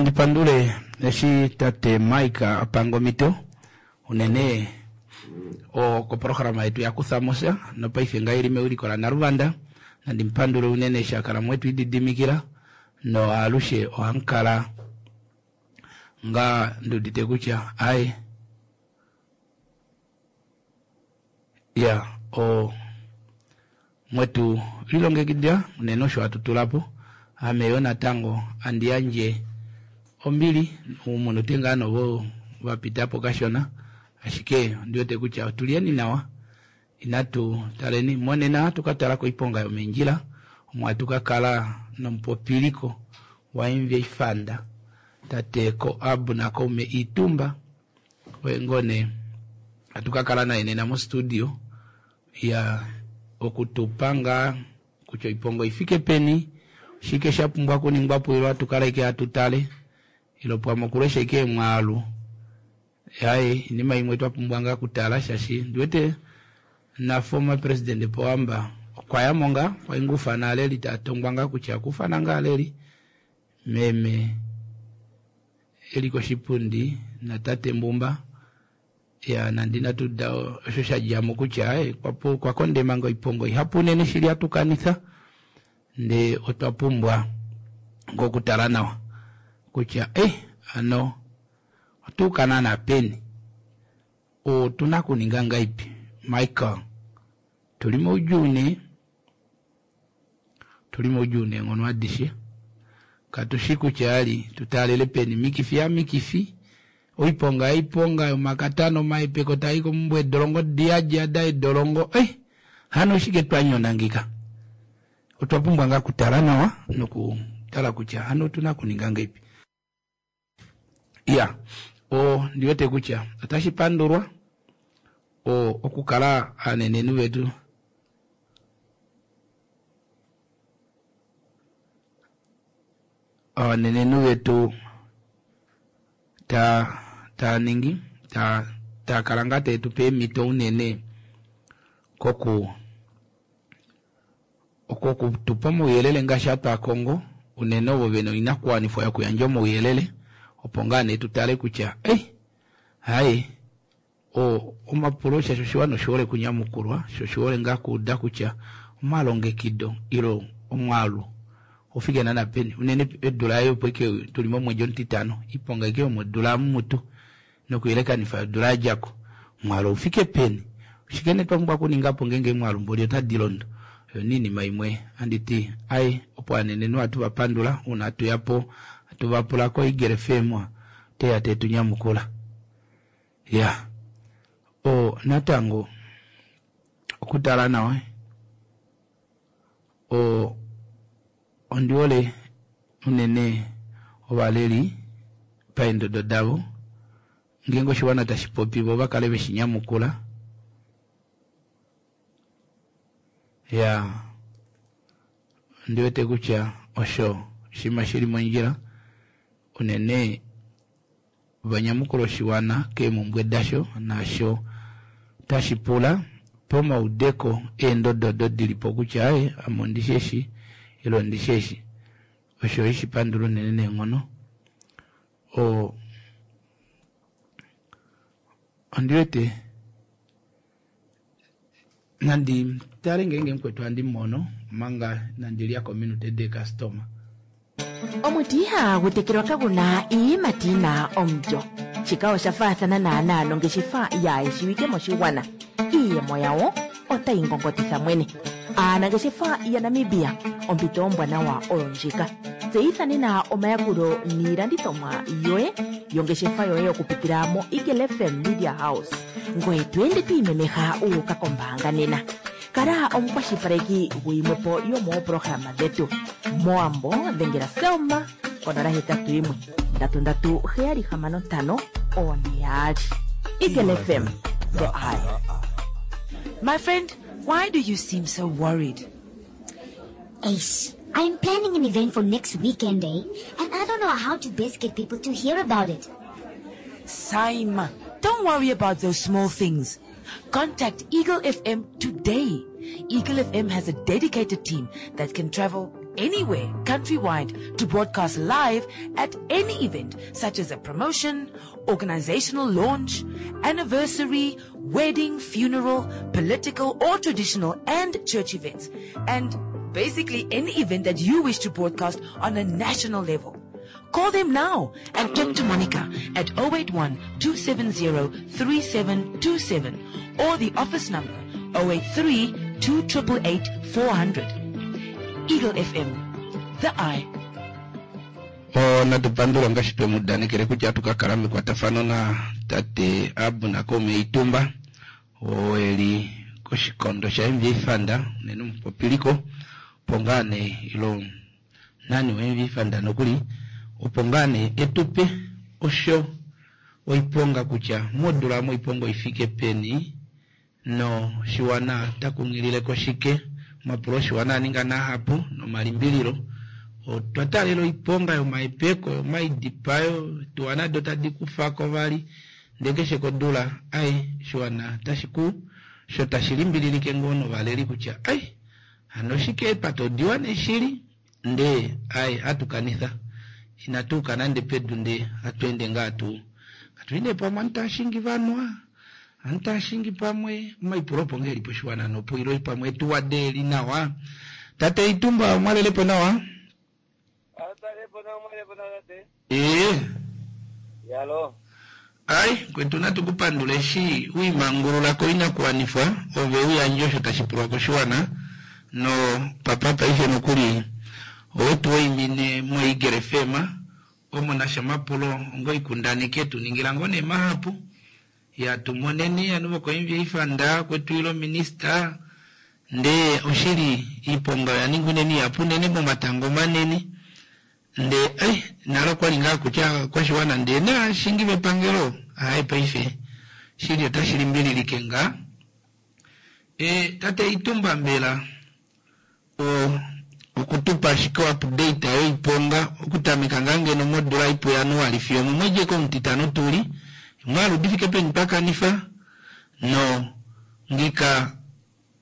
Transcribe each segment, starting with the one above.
Nandi pandule eshi tate Mike a panga omhito unene koprograma yetu ya kufa mo sha nopaife ngaa ili mewiliko laNaluvanda. Nandi mu pandule unene eshi a kala mwetu ididimikila noalushe ohamu kala ngaa ndi udite kutya aye ya o mwetu lilongekidila unene osho hatu tula po. Ame yo natango andi yandje ombili umunute ngaa novo va pita po kashona, ashike ondi wete kutya otu lyeni nawa. Inatu taleni monena hatu ka tala koiponga yomeendjila omo hatu ka kala nomupopiliko waMVA Fund tate Koab Nakaume Iitumba oye ngoo nee hatu ka kala naye nena mostudio ya okutupa ngaa kutya oiponga oifike peni, oshike sha pumbwa okuningwa po ilo hatu kala ashike hatu tale ilo pwamwe okulesha ashike emwaalu. Yaye inima imwe twa pumbwa ngaa okutala shaashi ndi wete na former president Pohamba okwa ya mo ngaa, okwa inga ufana aaleli taa tongwa ngaa kutya okufana ngaa aaleli meme eli koshipundi natate Mbumba ya nande inatu uda osho sha dja mo kutya aye okwa kondema nga oiponga ihapu unene shili hatu kanitha ndee otwa pumbwa nga okutala nawa kutya eh ano otuuka naana peni otuna okuninga ngaipi Michael tuli moudjuu nee Otuli moudjuu neenghono adishe. Katu shi kutya ali tu taalele peni. Mikifi ya mikifi, oiponga ya iponga, yomakatana, omahepeko taa i komumbwa, eedolongo di yadi yada eedolongo. Eh! Hano oshike twa nyona ngika? Otwa pumbwa ngaa okutala nawa nokutala kutya hano otu na okuninga ngeipi. Ya, o, ndi wete kutya otashi pandulwa o, okukala aanenenhu vetu aanenenhu vetu ta taa ningi ta taa kala ngaa tae tu pe eemhito unene koku Oku tu pa omauyelele ngaashi hatu a kongo, unene ovo ve na oinakuwanifwa yokuyandja omauyelele, opo ngaa nee tu tale kutya ei, haye, o, omapulo shaashi oshiwana oshi hole okunyamukulwa, sho oshi hole ngaa okuuda kutya omalongekido ile omwaalu ou fike naana peni, unene odula ei opo ike tu li momwedi omutitano, iponga aike yomodula amu mutu nokuyelekanifa yodula ya dja ko. Omwaalu ou fike peni? Oshike nee twa pumbwa okuninga po ngeenge emwaalu mboli otadi londo? Oyo nee iinima imwe handi ti ai opo aanenenhu ohatu va pandula uuna hatu ya po hatu va pula koEagle FM ote ya te tu nyamukula. Ya o natango okutala nawa o ondi hole unene ovaleli paendodo davo ngeenge oshiwana tashi popi vo va kale veshi nyamukula ya ondi wete kutya osho oshinima shili mondjila unene va nyamukule oshiwana keemhumbwe dasho naasho tashi pula pomaudeko eendodo odo di li po kutya aaye ame ondi shi eshi ile ondi shi eshi. Osho ohashi pandula unene neenghono. O, ondi wete nandi tale ngeenge mukwetu handi mono omanga nandi lya kominute deekastoma. Omuti ihaagu tekelwa kagu na iiyimati yi na omulyo. Shika osha faathana naanaa nongeshefa yaa shiwike moshigwana. Iiyemo yawo otayi ngongotitha mwene. Aanangeshefa yaNamibia, ompito ombwanawa oyo ndjika. Tseyitha nena omayakulo niilandithomwa yoye yongeshefa yoye okupitila moEagle FM Media House. Ngoye to ende to imemeha wu uka kombaanga nena. Kala omukwashilipaleki guyimwe po yomooprograma dhetu. Mowambo dhengela Selma ko 081 337 6542. Eagle FM, the eye. My friend, why do you seem so worried? Ace, I'm planning an event for next weekend, eh? And I don't know how to best get people to hear about it. Saima, don't worry about those small things. Contact Eagle FM today. Eagle FM has a dedicated team that can travel anywhere countrywide to broadcast live at any event such as a promotion, organizational launch, anniversary, wedding, funeral, political or traditional and church events, and basically any event that you wish to broadcast on a national level. Call them now and talk to Monica at 081 270 3727 or the office number 083 2888 400. Eagle FM, the eye. O, natu pandula ngaashi twe mu udanekele kutya atu ka kala mekwatafano na tate Abner Kaume Itumba oo e li koshikondo sha-MVA Fund, unene omupopiliko opo ngaa nee ilo nani wo-MVA Fund nokuli opo ngaa nee e tu pe osho oiponga kutya modula omu oiponga oi fike peni no shiwana ta kunghilile koshike. Omapulo oshiwana a ninga nahapu nomalimbililo. Otwa taalela oiponga yomahepeko, yomaidipayo, etuwa nado tadi kufa ko vali, ndee keshe kodula ai oshiwana tashi ku sho tashi limbililike ngoo novaleli kutya ai hano oshike eepate odiwa nee shili ndee ai hatu kanitha inatu uka nande pedu ndee hatu ende ngaa tuu katu li nee pamwe ovanhu tava shingi vanwa ovanhu tava shingi pamwe omaipulo opo ngee eli poshiwana nopo ilo pamwe etuwa deeli nawa tate Itumba omwalelepo nawa Ee. Yalo. Ai, kwetu natu ku pandula eshi wi mangulula koinakuwanifwa ove u yandje osho tashi pulwa koshiwana no papa paife nokuli owe tu waimine moEagle FM omo nasha omapulo onga oikundaneki etu ningila ngoo nee mahapu ya tu moneni ovanhu vokoMVA Fund kwetu ilo minista ndee oshili iiponga oya ninga unene ihapu unene momatango manene Ndee ai nale okwali ngaa kutya kwashiwana ndee naashingi vepangelo aaye paife shili otashi limbililike ngaa. E, tate Itumba mbela o okutupa ashike oupdate yoiponga okutameka ngaa ngeno modula ipu Januali fiyo omomwedi eke omutitano tuli, omwaalu di fike peni twa kanifa no ngika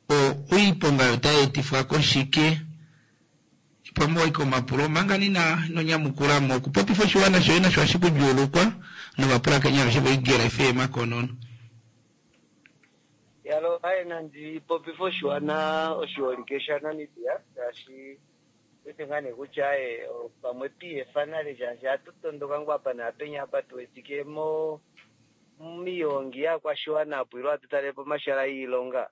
o oiponga oyo otai etifwa koshike? Pamwe owaika omapulo omanga nina ino nyamukula mo okupopifa oshiwana shoye nasho ohashi ku djuulukwa novapulakeni aveshe voEagle FM konono. Yalo aye nandi popife oshiwana oshiholike sha Namibia shaashi wete ngaa nee kutya aye pamwe twiiyefa nale shaashi ohatu tondoka ngoo apa naapenya apa tu wetike mo miihongi yaakwashiwana apo ilo hatu talelepo omashala iilonga.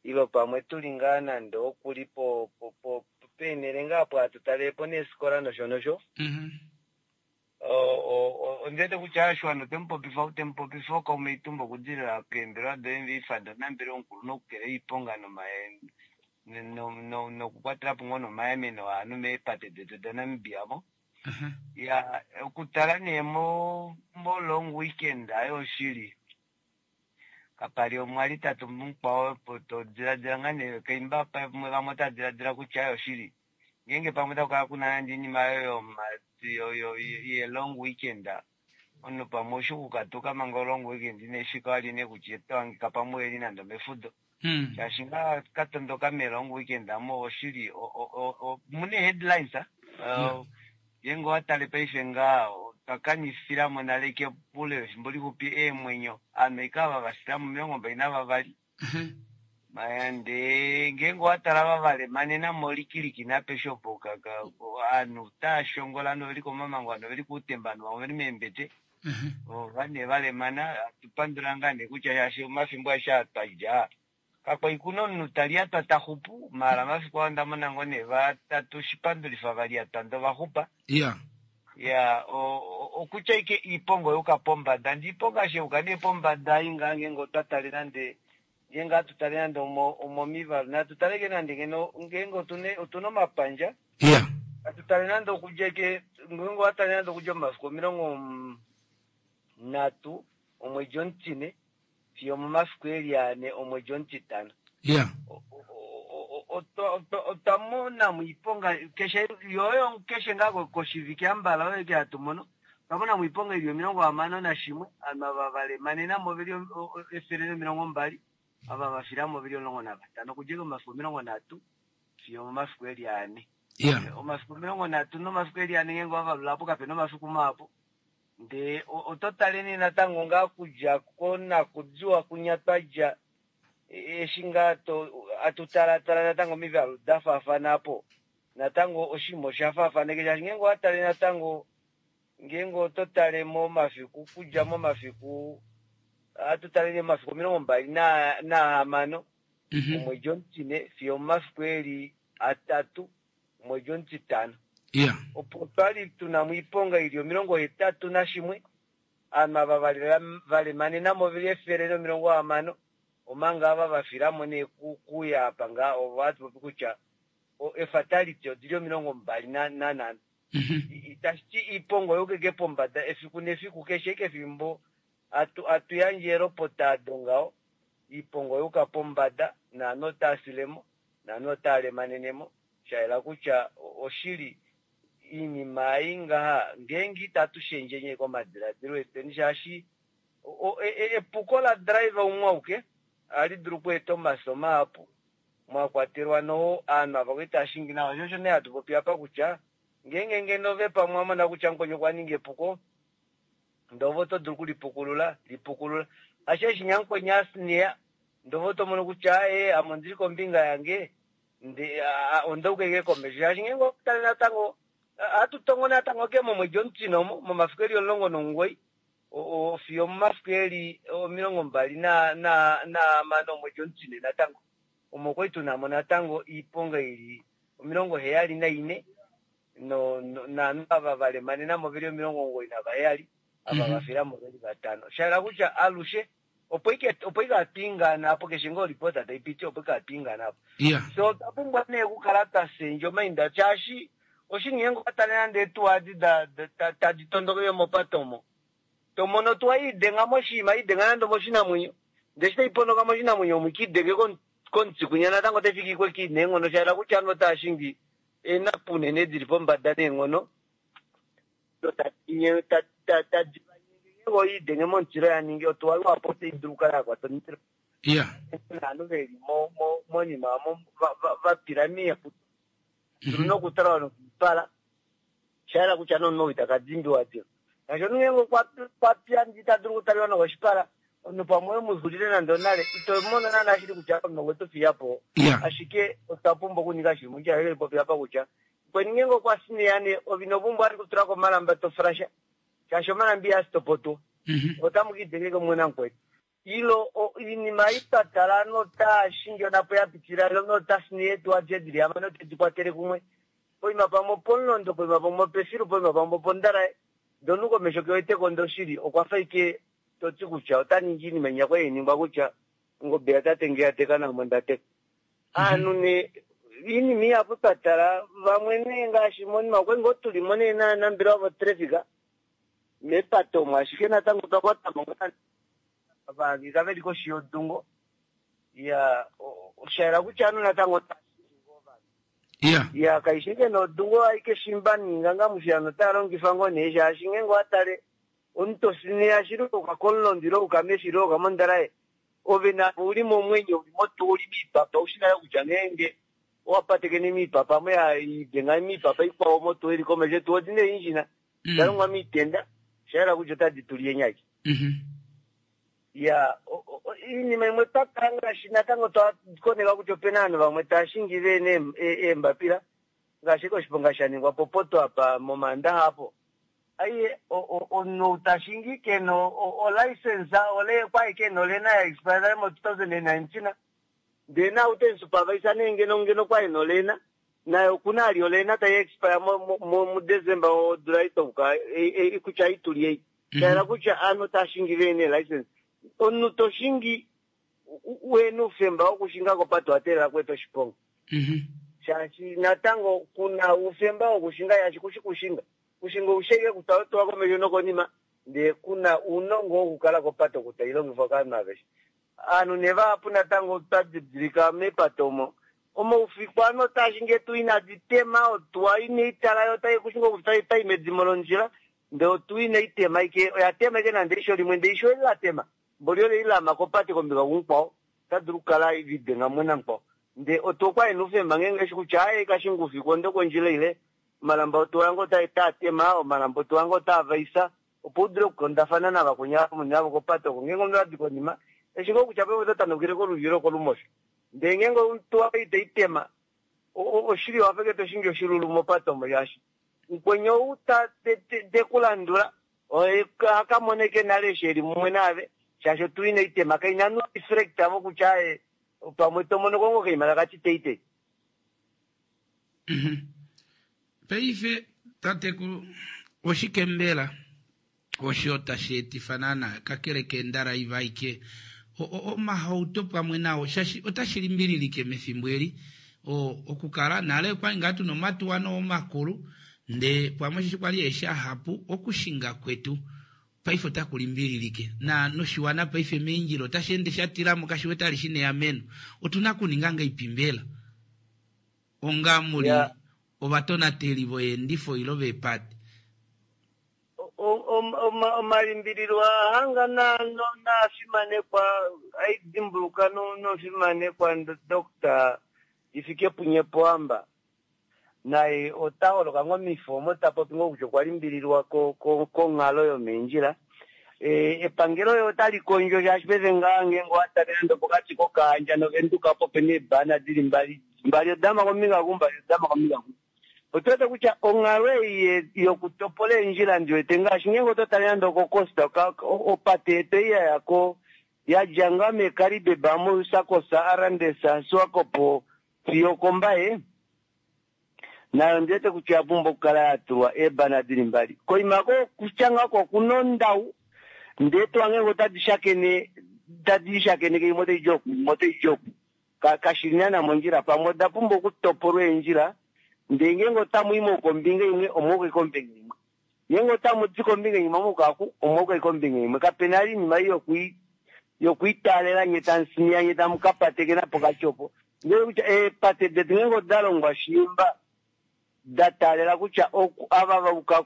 Ilo pamwe tu li ngaa nande oku li po, po, po, peenhele ngaa apo hatu talele po neefikola nosho nosho. Ondi wete kutya oshiwana ote mu popifa, ou te mu popifa ookaume Itumba okudilila keembelewa do-MVA Fund, omunambelewa omukulunhu okukelela oiponga no, nokukwatela po ngoo nomayameno ovanhu meepate detu daNamibia mo. Ya, okutala nee mo, mo long weekend ayo oshili. Kapali omwa li tatu mukwao opo to diladila ngaa nee kaimba pamwe vamwe otava diladila kutya aye oshili ngeenge pamwe otaku kala kuna nande oinima oyo yo ye long weekend omunhu pamwe oshi okukatuka manga olong weekend inai fika wali nee kutya oto hangika pamwe eli nande omefudo shaashi ngaa ka tondoka me long weekend amo oshili omuna headlines Ngeenge owa tale paife ngaha, otwa kanifila mo nale kepule lefimbo lixupi eemwenyo Aamerika ava va fila mo 22. Ndee ngeenge owa tala ava va lemanena mo likiliki napeshe opo ovanhu otava shongola, ovanhu oveli komamango, ovanhu oveli koutemba, ovanhu vamwe oveli meembete. Ova nee va lemana, ohatu pandula ngaa nee kutya shaashi omafimbo aeshe aa twa dja, Kakwa ku na omunhu ta lyatwa ta xupu, maala mafiku aa onda mona ngoo nee vatatu shipandulifa va lyatwa ndee ova xupa. Iya. Iya, okutya ike iiponga oya uka pombada, ndee iiponga eshi ya uka nee pombada ei ngaa ngeenge otwa tale nande, ngeenge ohatu tale nande omomivalu, natu tale ike nande ngeno ngeenge otuna omapandja, Iya. natu tale nande okudja ike, ngeenge owa tale nande okudja momafiku 30 omwedi omutine, fiyo omomafiku eli ane omwedi omutitano. Yeah. Otwa mona mo iiponga keshe yoyo keshe ngaa koshivike ambala oyo eke hatu mono otwa mona mo iiponga ili 61 ovanhu ava va lemanena mo veli 120 ava va fila mo veli 15 okudja eke momafiku 30 fiyo omomafiku eli ane. Omafiku 30 nomafiku eli anenge ngo avalula po kapena omafiku mahapu. Ndee oto tale nee natango ngaa kudja konakudiwa kunya twadja eshi ngaa atu talatala natango omivalu da faafana apo. Natango oshinima osha faafaneke shaashi ngeenge owa tale natango ngeenge oto tale momafiku kudja momafiku atu tale nee momafiku 26 omwedi omutine fiyo omomafiku eli 3 omwedi omutitano. Opo twali tuna mo oiponga ili 81 ovanhu ava valemanenamo oveli 160 omanga ava vafilamo nee kuya apa ngaa ovo hatu popi kutya efatality odili 25. Itashi ti iiponga oyuukeke pombada efiku nefiku keshe kefimbo atu yandje elopota ado ngaho iiponga oyuuka pombada naanhu otaa filemo naanhu otaa lemanenemo shayela kutya oshili iinima ei ngaha ngeenge itatu shendjenye komadiladilo etweni shaashi epuko la driver umwe auke ohali dulu okweeta omafyo mahapu mwakwatelwa noho aanhu ava kwali tava shingi nawa sho osho nee hatu popi apa kutya ngeenge ngeno ove pamwe wamona kutya mukweni okwa ninga epuko ndee ove oto dulu okulipukulula lipukulula ashike eshi nyamukweni asneya ndee ove oto mono kutya aaye ame ondili kombinga yange ndee ondauka ashike komesho shaashi ngeenge otale natango ohatu tongo natango ke momwedi omutine omo momafiku eli 19 fiyo omomafiku eli 26 omwedi omutine natango omo kwali tunamo natango iiponga ili 74 naanhu ava valemanenamo veli 97 ava vafilamo veli 5. Shayela kutya alushe opo ike atwiingana apo keshe ngoo report taipiti opo ike atwiingana apo. So otwa pumbwa nee okukala twa sendja omainda shaashi oshinima ngeenge nande eetuwa adi tadi tondokele mopate omo tomono otuwa iidenga moshinima iidenga nande moshinamwenyo ndee eshi taiponoka moshinamwenyo omo ikiidenge komutsi kunya natango otaifiki kweki neenghono shayela kutya ovanhu otava shingi eenapu unene dili pombada neenghono tadi idenge momutilo yaningi otuwa luhapu otai dulu okukala yakwata omundilo naanhu veli monima omo vapila miihapu dulu nokutala nokuipala shayela kutya nomunhu ou itaka dimbiwa diva shaashi omunhu ngeenge okwapya ita dulu okutaliwa nokoshipala omunhu pamwe wemuzulile nande onale ito mono naana shili kutya omunhu okwe tu fiya po ashike otwa pumbwa okuninga shili mondjila elipopi apa kutya kweni ngeenge okwa sineya nee ove ino pumbwa vali okutulako omalamba toflasha shaashi omalamba ihaa stopo tuu otamu kiidengeke mumwe namukweni ilo iinima ei twa tala notaa shingi onapo yapitila nota sineya eetuwa adishe dili hamano tedi kwatele kumwe poima pamwe opomulondo poima pamwe opefilu poima pamwe opondalaye ndee omunhu komesho keweteko ndee oshili okwafa ashike toti kutya ota ningi iinima inya kwali hainingwa kutya ongobe yatate nge yateka naame ondateka. Aanhu nee iinima ihapu twa tala vamwe nee ngaashi monima okwali ngoo tulimo nee naanambelewa votraffic mepate omo ashike natango otwa kwatamo ngaa vahangika veli koshi yodungo ya oshayela kutya ovanhu natango otava shingi ngoo ovanhu ya kaishi ike nodungo aike shimba niinganga mushiyano otaya longifa ngoo nee shaashi ngeenge owatale omuntu tosineya shili ouka komulondo ile ouka mefilo ouka mondalaye ove navo uli momwenyo uli motuwa uli miipapa ushi nale kutya ngeenge owapatekene miipapa mo idenga miipapa ikwao motuwa ili komesho etuwa odina eengine dalongwa miitenda oshayela kutya otadi tuli enyaki ya iinima imwe twakala ngaashi natango twakoneka kutya opena ovanhu vamwe tava shingi vena eembapila ngaashi koshiponga shaningwa popoto apa momandaxa apo aiye omunhu tashingi kena olicense okwali kena olena ya expire nale mo 2019 ndee na utemusupervisor nee ngeno ngeno kwali nolena naye okuna ali olena tai expire muDecember wodula itouka kutya ituli ei shayela kutya aanhu tashingi vena elicense omunhu toshingi wena oufemba wokushinga kopate owateelela kweeta oshiponga shaashi natango kuna oufemba wokushinga shaashi kushi kushinga kushinga ousheke kutwa komesho nokonima ndee kuna ounongo wokukala kopate oku tailongifwa kovanhu aveshe aanhu nee vahapu natango twadidilika mepate omo omaufiku ovanhu otashingi eetuwa inadi tema otuwa ineitala yo otai kushinga otai medimo londjila ndee otuwa inaitema ike oya tema ike nande eisho limwe ndee eisho eli latema mboli ole ilama kopate kombinga kumukwao otadulu okukala lidenga mumwe namukwao. Ndee otuwa okwali ina oufemba ngeenge eshi kutya aaye kashinga oufiku onde kondjila ile omalamba otuwa yange otaa tema, omalamba otuwa yange otaa vaisa opo u dule okukundafana navakweni ava muli navo kopate oko. Ngeenge omunhu adi konima eshi ngoo kutya paife oto tanaukile kolulyo ile okolumosho. Ndee ngeenge otuwa itai tema oshili owafa ashike to shingi oshilulu mopate omo shaashi mukweni ou te ku landula oye oha ka mona ashike nale eshi eli mumwe naave shaashi otuwa inai tema kaina no reflector vokutya aaye pamwe to mono ko ngoo okaima taka ti teitei. Paife tatekulu oshike mbela osho tashi etifa naana kakele keendalaiva aike omahauto pamwe nao shaashi otashi limbililike mefimbo eli okukala nale okwali ngaa tuna omatuwa noo makulu ndee pamwe osheshi kwali eeshi ahapu okushinga kwetu paife otaku limbililike na noshiwana paife meendjila otashi ende sha tilamo kashi wete ali shina eameno otuna okuninga ngaipi mbela onga muli ovatonateli voyeendifo ilo veepate? Omalimbililo aa hanga naafimanekwa aidimbuluka nofimanekwa Doctor Hifikepunye Pohamba naye ota holoka ngoo mifo omo ta popi ngoo kutya okwa limbililwa konghalo yomeendjila. Epangelo yo otali kondjo shaashi paife ngaa ngeenge owa tale nande opokati kOkahandja nOvenduka opo pena eebana dili mbali, mbali odama kombinga oku mbali odama kombinga oku. Otu wete kutya onghalo ei yokutopola eendjila ndi wete ngaashi ngeenge oto tale nande okoCosta opate yetu ei ya ya ko ya dja ngaa meeKaribeb amu Usakos, Arandis, Swakop fiyo okoMbaye nayo ondi wete kutya oya pumbwa okukala ya tulwa eebana dili mbali. Koima ko kutya ngaa oko okuna ondau ndee tuwa ngeenge otadi shakene tadi lishakeneke imwe otai di oku imwe otai di oku kashi li naana mondjila. Pamwe oda pumbwa okutopolwa eendjila ndee ngeenge otamu i kombinga imwe omwauka kombinga imwe, ngeenge otamu di kombinga imwe omwauka oku omwauka kombinga imwe. Kapena ali oinima ei yokuitaalela nye tamu nye tamu ka patekena pokati opo. Ndee kutya eepate detu ngeenge oda longwa shiimba da taalela kutya ava vauka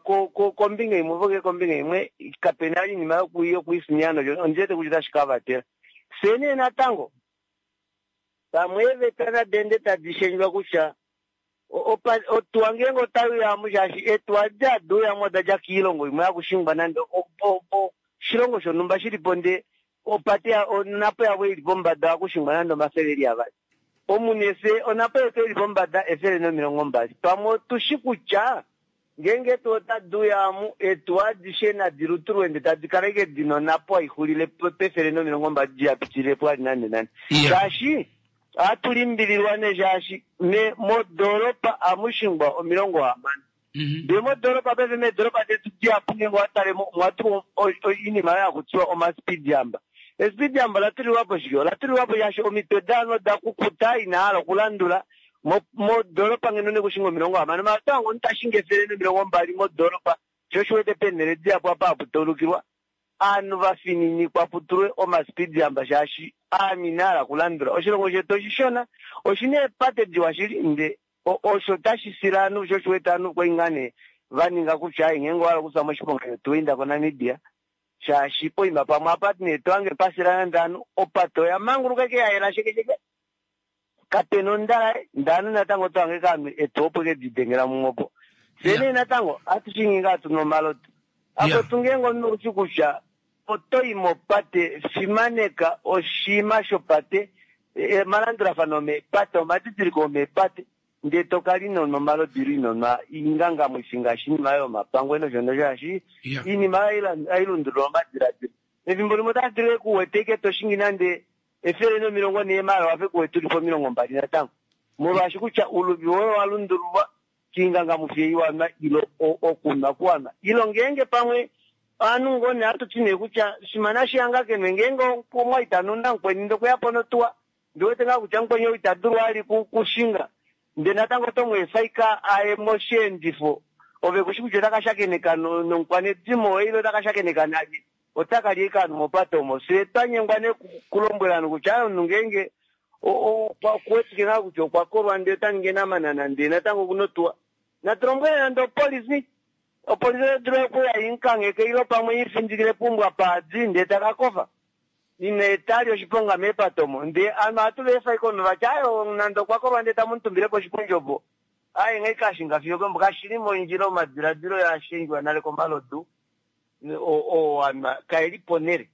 kombinga imwe voke kombinga imwe kapena ali oinima yokuisiniya nosho ondi wete kutya otashi ka vatela. Fye nee natango pamwe eeveta nadi ende tadi shendjwa kutya otuwa ngeenge otai uyamo shaashi eetuwa edi hadi uyamo oda dja koilongo imwe hakushingwa nande oshilongo shonhumba shilipo ndee opate onapo yavo ili pombada ohakushingwa nande omafele eli avali. Omunhu fye onapo yetu ili pombada 120. Pamwe otushi kutya ngeenge eetuwa otadi uyamo eetuwa adishe nadi lutulwe ndee tadi kala ashike dina onapo haixulile pe120 dihapitilile po ali nande nande. Shaashi ohatu limbililwa nee shaashi modoolopa amushingwa 60. Ndee modoolopa paife meedolopa detu dihapu ngeenge owatale mo omwa tulwa oinima oyo hakutiwa omaspeed hump. Espeed hump ola tulilwapo shike? Ola tulilwapo shaashi omitwe daanhu oda kukuta ina hala okulandula modoolopa ngeno nekushinga 60. Maala oto hange omunhu tashingi 120 modoolopa sho oshiwete peenhele dihapu apa hapu taulukilwa aanhu vafininikwa putulwe omaspeed hump shaashi aanhu ina hala okulandula. Oshilongo shetu oshishona oshina eepate diwa shili nde osho tashi sile aanhu sho oshiwete aanhu kwali ngaa nee vaninga kutya ai ngeenge owahala okufya moshiponga shotuwa inda koNamibia shaashi poima pamwe apa nee tohange pasila nande aanhu opate oya manguluka eke yayela shekesheke kapena ondalaye ndee aanhu natango otohange kaanhu etuwa opo eke didengela mumwe opo. Fye nee natango ohatu shingi ngaa tuna omaloto. Akwetu ngeenge omunhu oushi kutya otoyi mopate fimaneka oshiima shopate omalandulafano omeepate omadidiliko omeepate ndee tokala inonwa omalodu ile inonwa oingangamwifi ngaashi oinima yomapangwe nosho nosho shaashi oinima oyo hai lundulula omadiladilo. Efimbo limwe otashi dulu kuwete ike toshingi nande 140 maala wafe kuwete uli po 20 natango molwaashi kutya uluvi woye owa lundululwa kiingangamwifi ei wanwa ilo okunwa kuwanwa ilo ngeenge pamwe ovanhu ngoo nee ohatu ti nee kutya shimana shihanga kenwe ngeenge omwa itanu namukweni ndee okweya po notuwa ndiwete ngaa kutya mukweni ou ita dulu ali kushinga ndee natango oto mu efa ike aye mosheendifo ove kushi kutya otaka shakeneka nomukwanedimo woye ile otaka shakeneka nalye otaka li ike aanhu mopate omo. Fye twanyengwa nee kulombwela ovanhu kutya omunhu ngeenge okuwetike ngaa kutya okwa kolwa ndee ota ningi enamanana ndee natango okuna otuwa natulombwele nande opolifi opolifi otai dulu okuya imukangheke ilo pamwe ifindikile pumbwa paadi ndee taka kofa. Ina etali oshiponga meepate omo. Ndee ovanhu ohatu va efa ashike omunhu vati aaye nande okwa kolwa ndee tamu mu tumbile koshipundi opo aaye nghee kashinga fiyo okeumbo. Kashili mondjila omadiladilo yaa shendjwa nale komalodu oo anwa kaeli ponhele.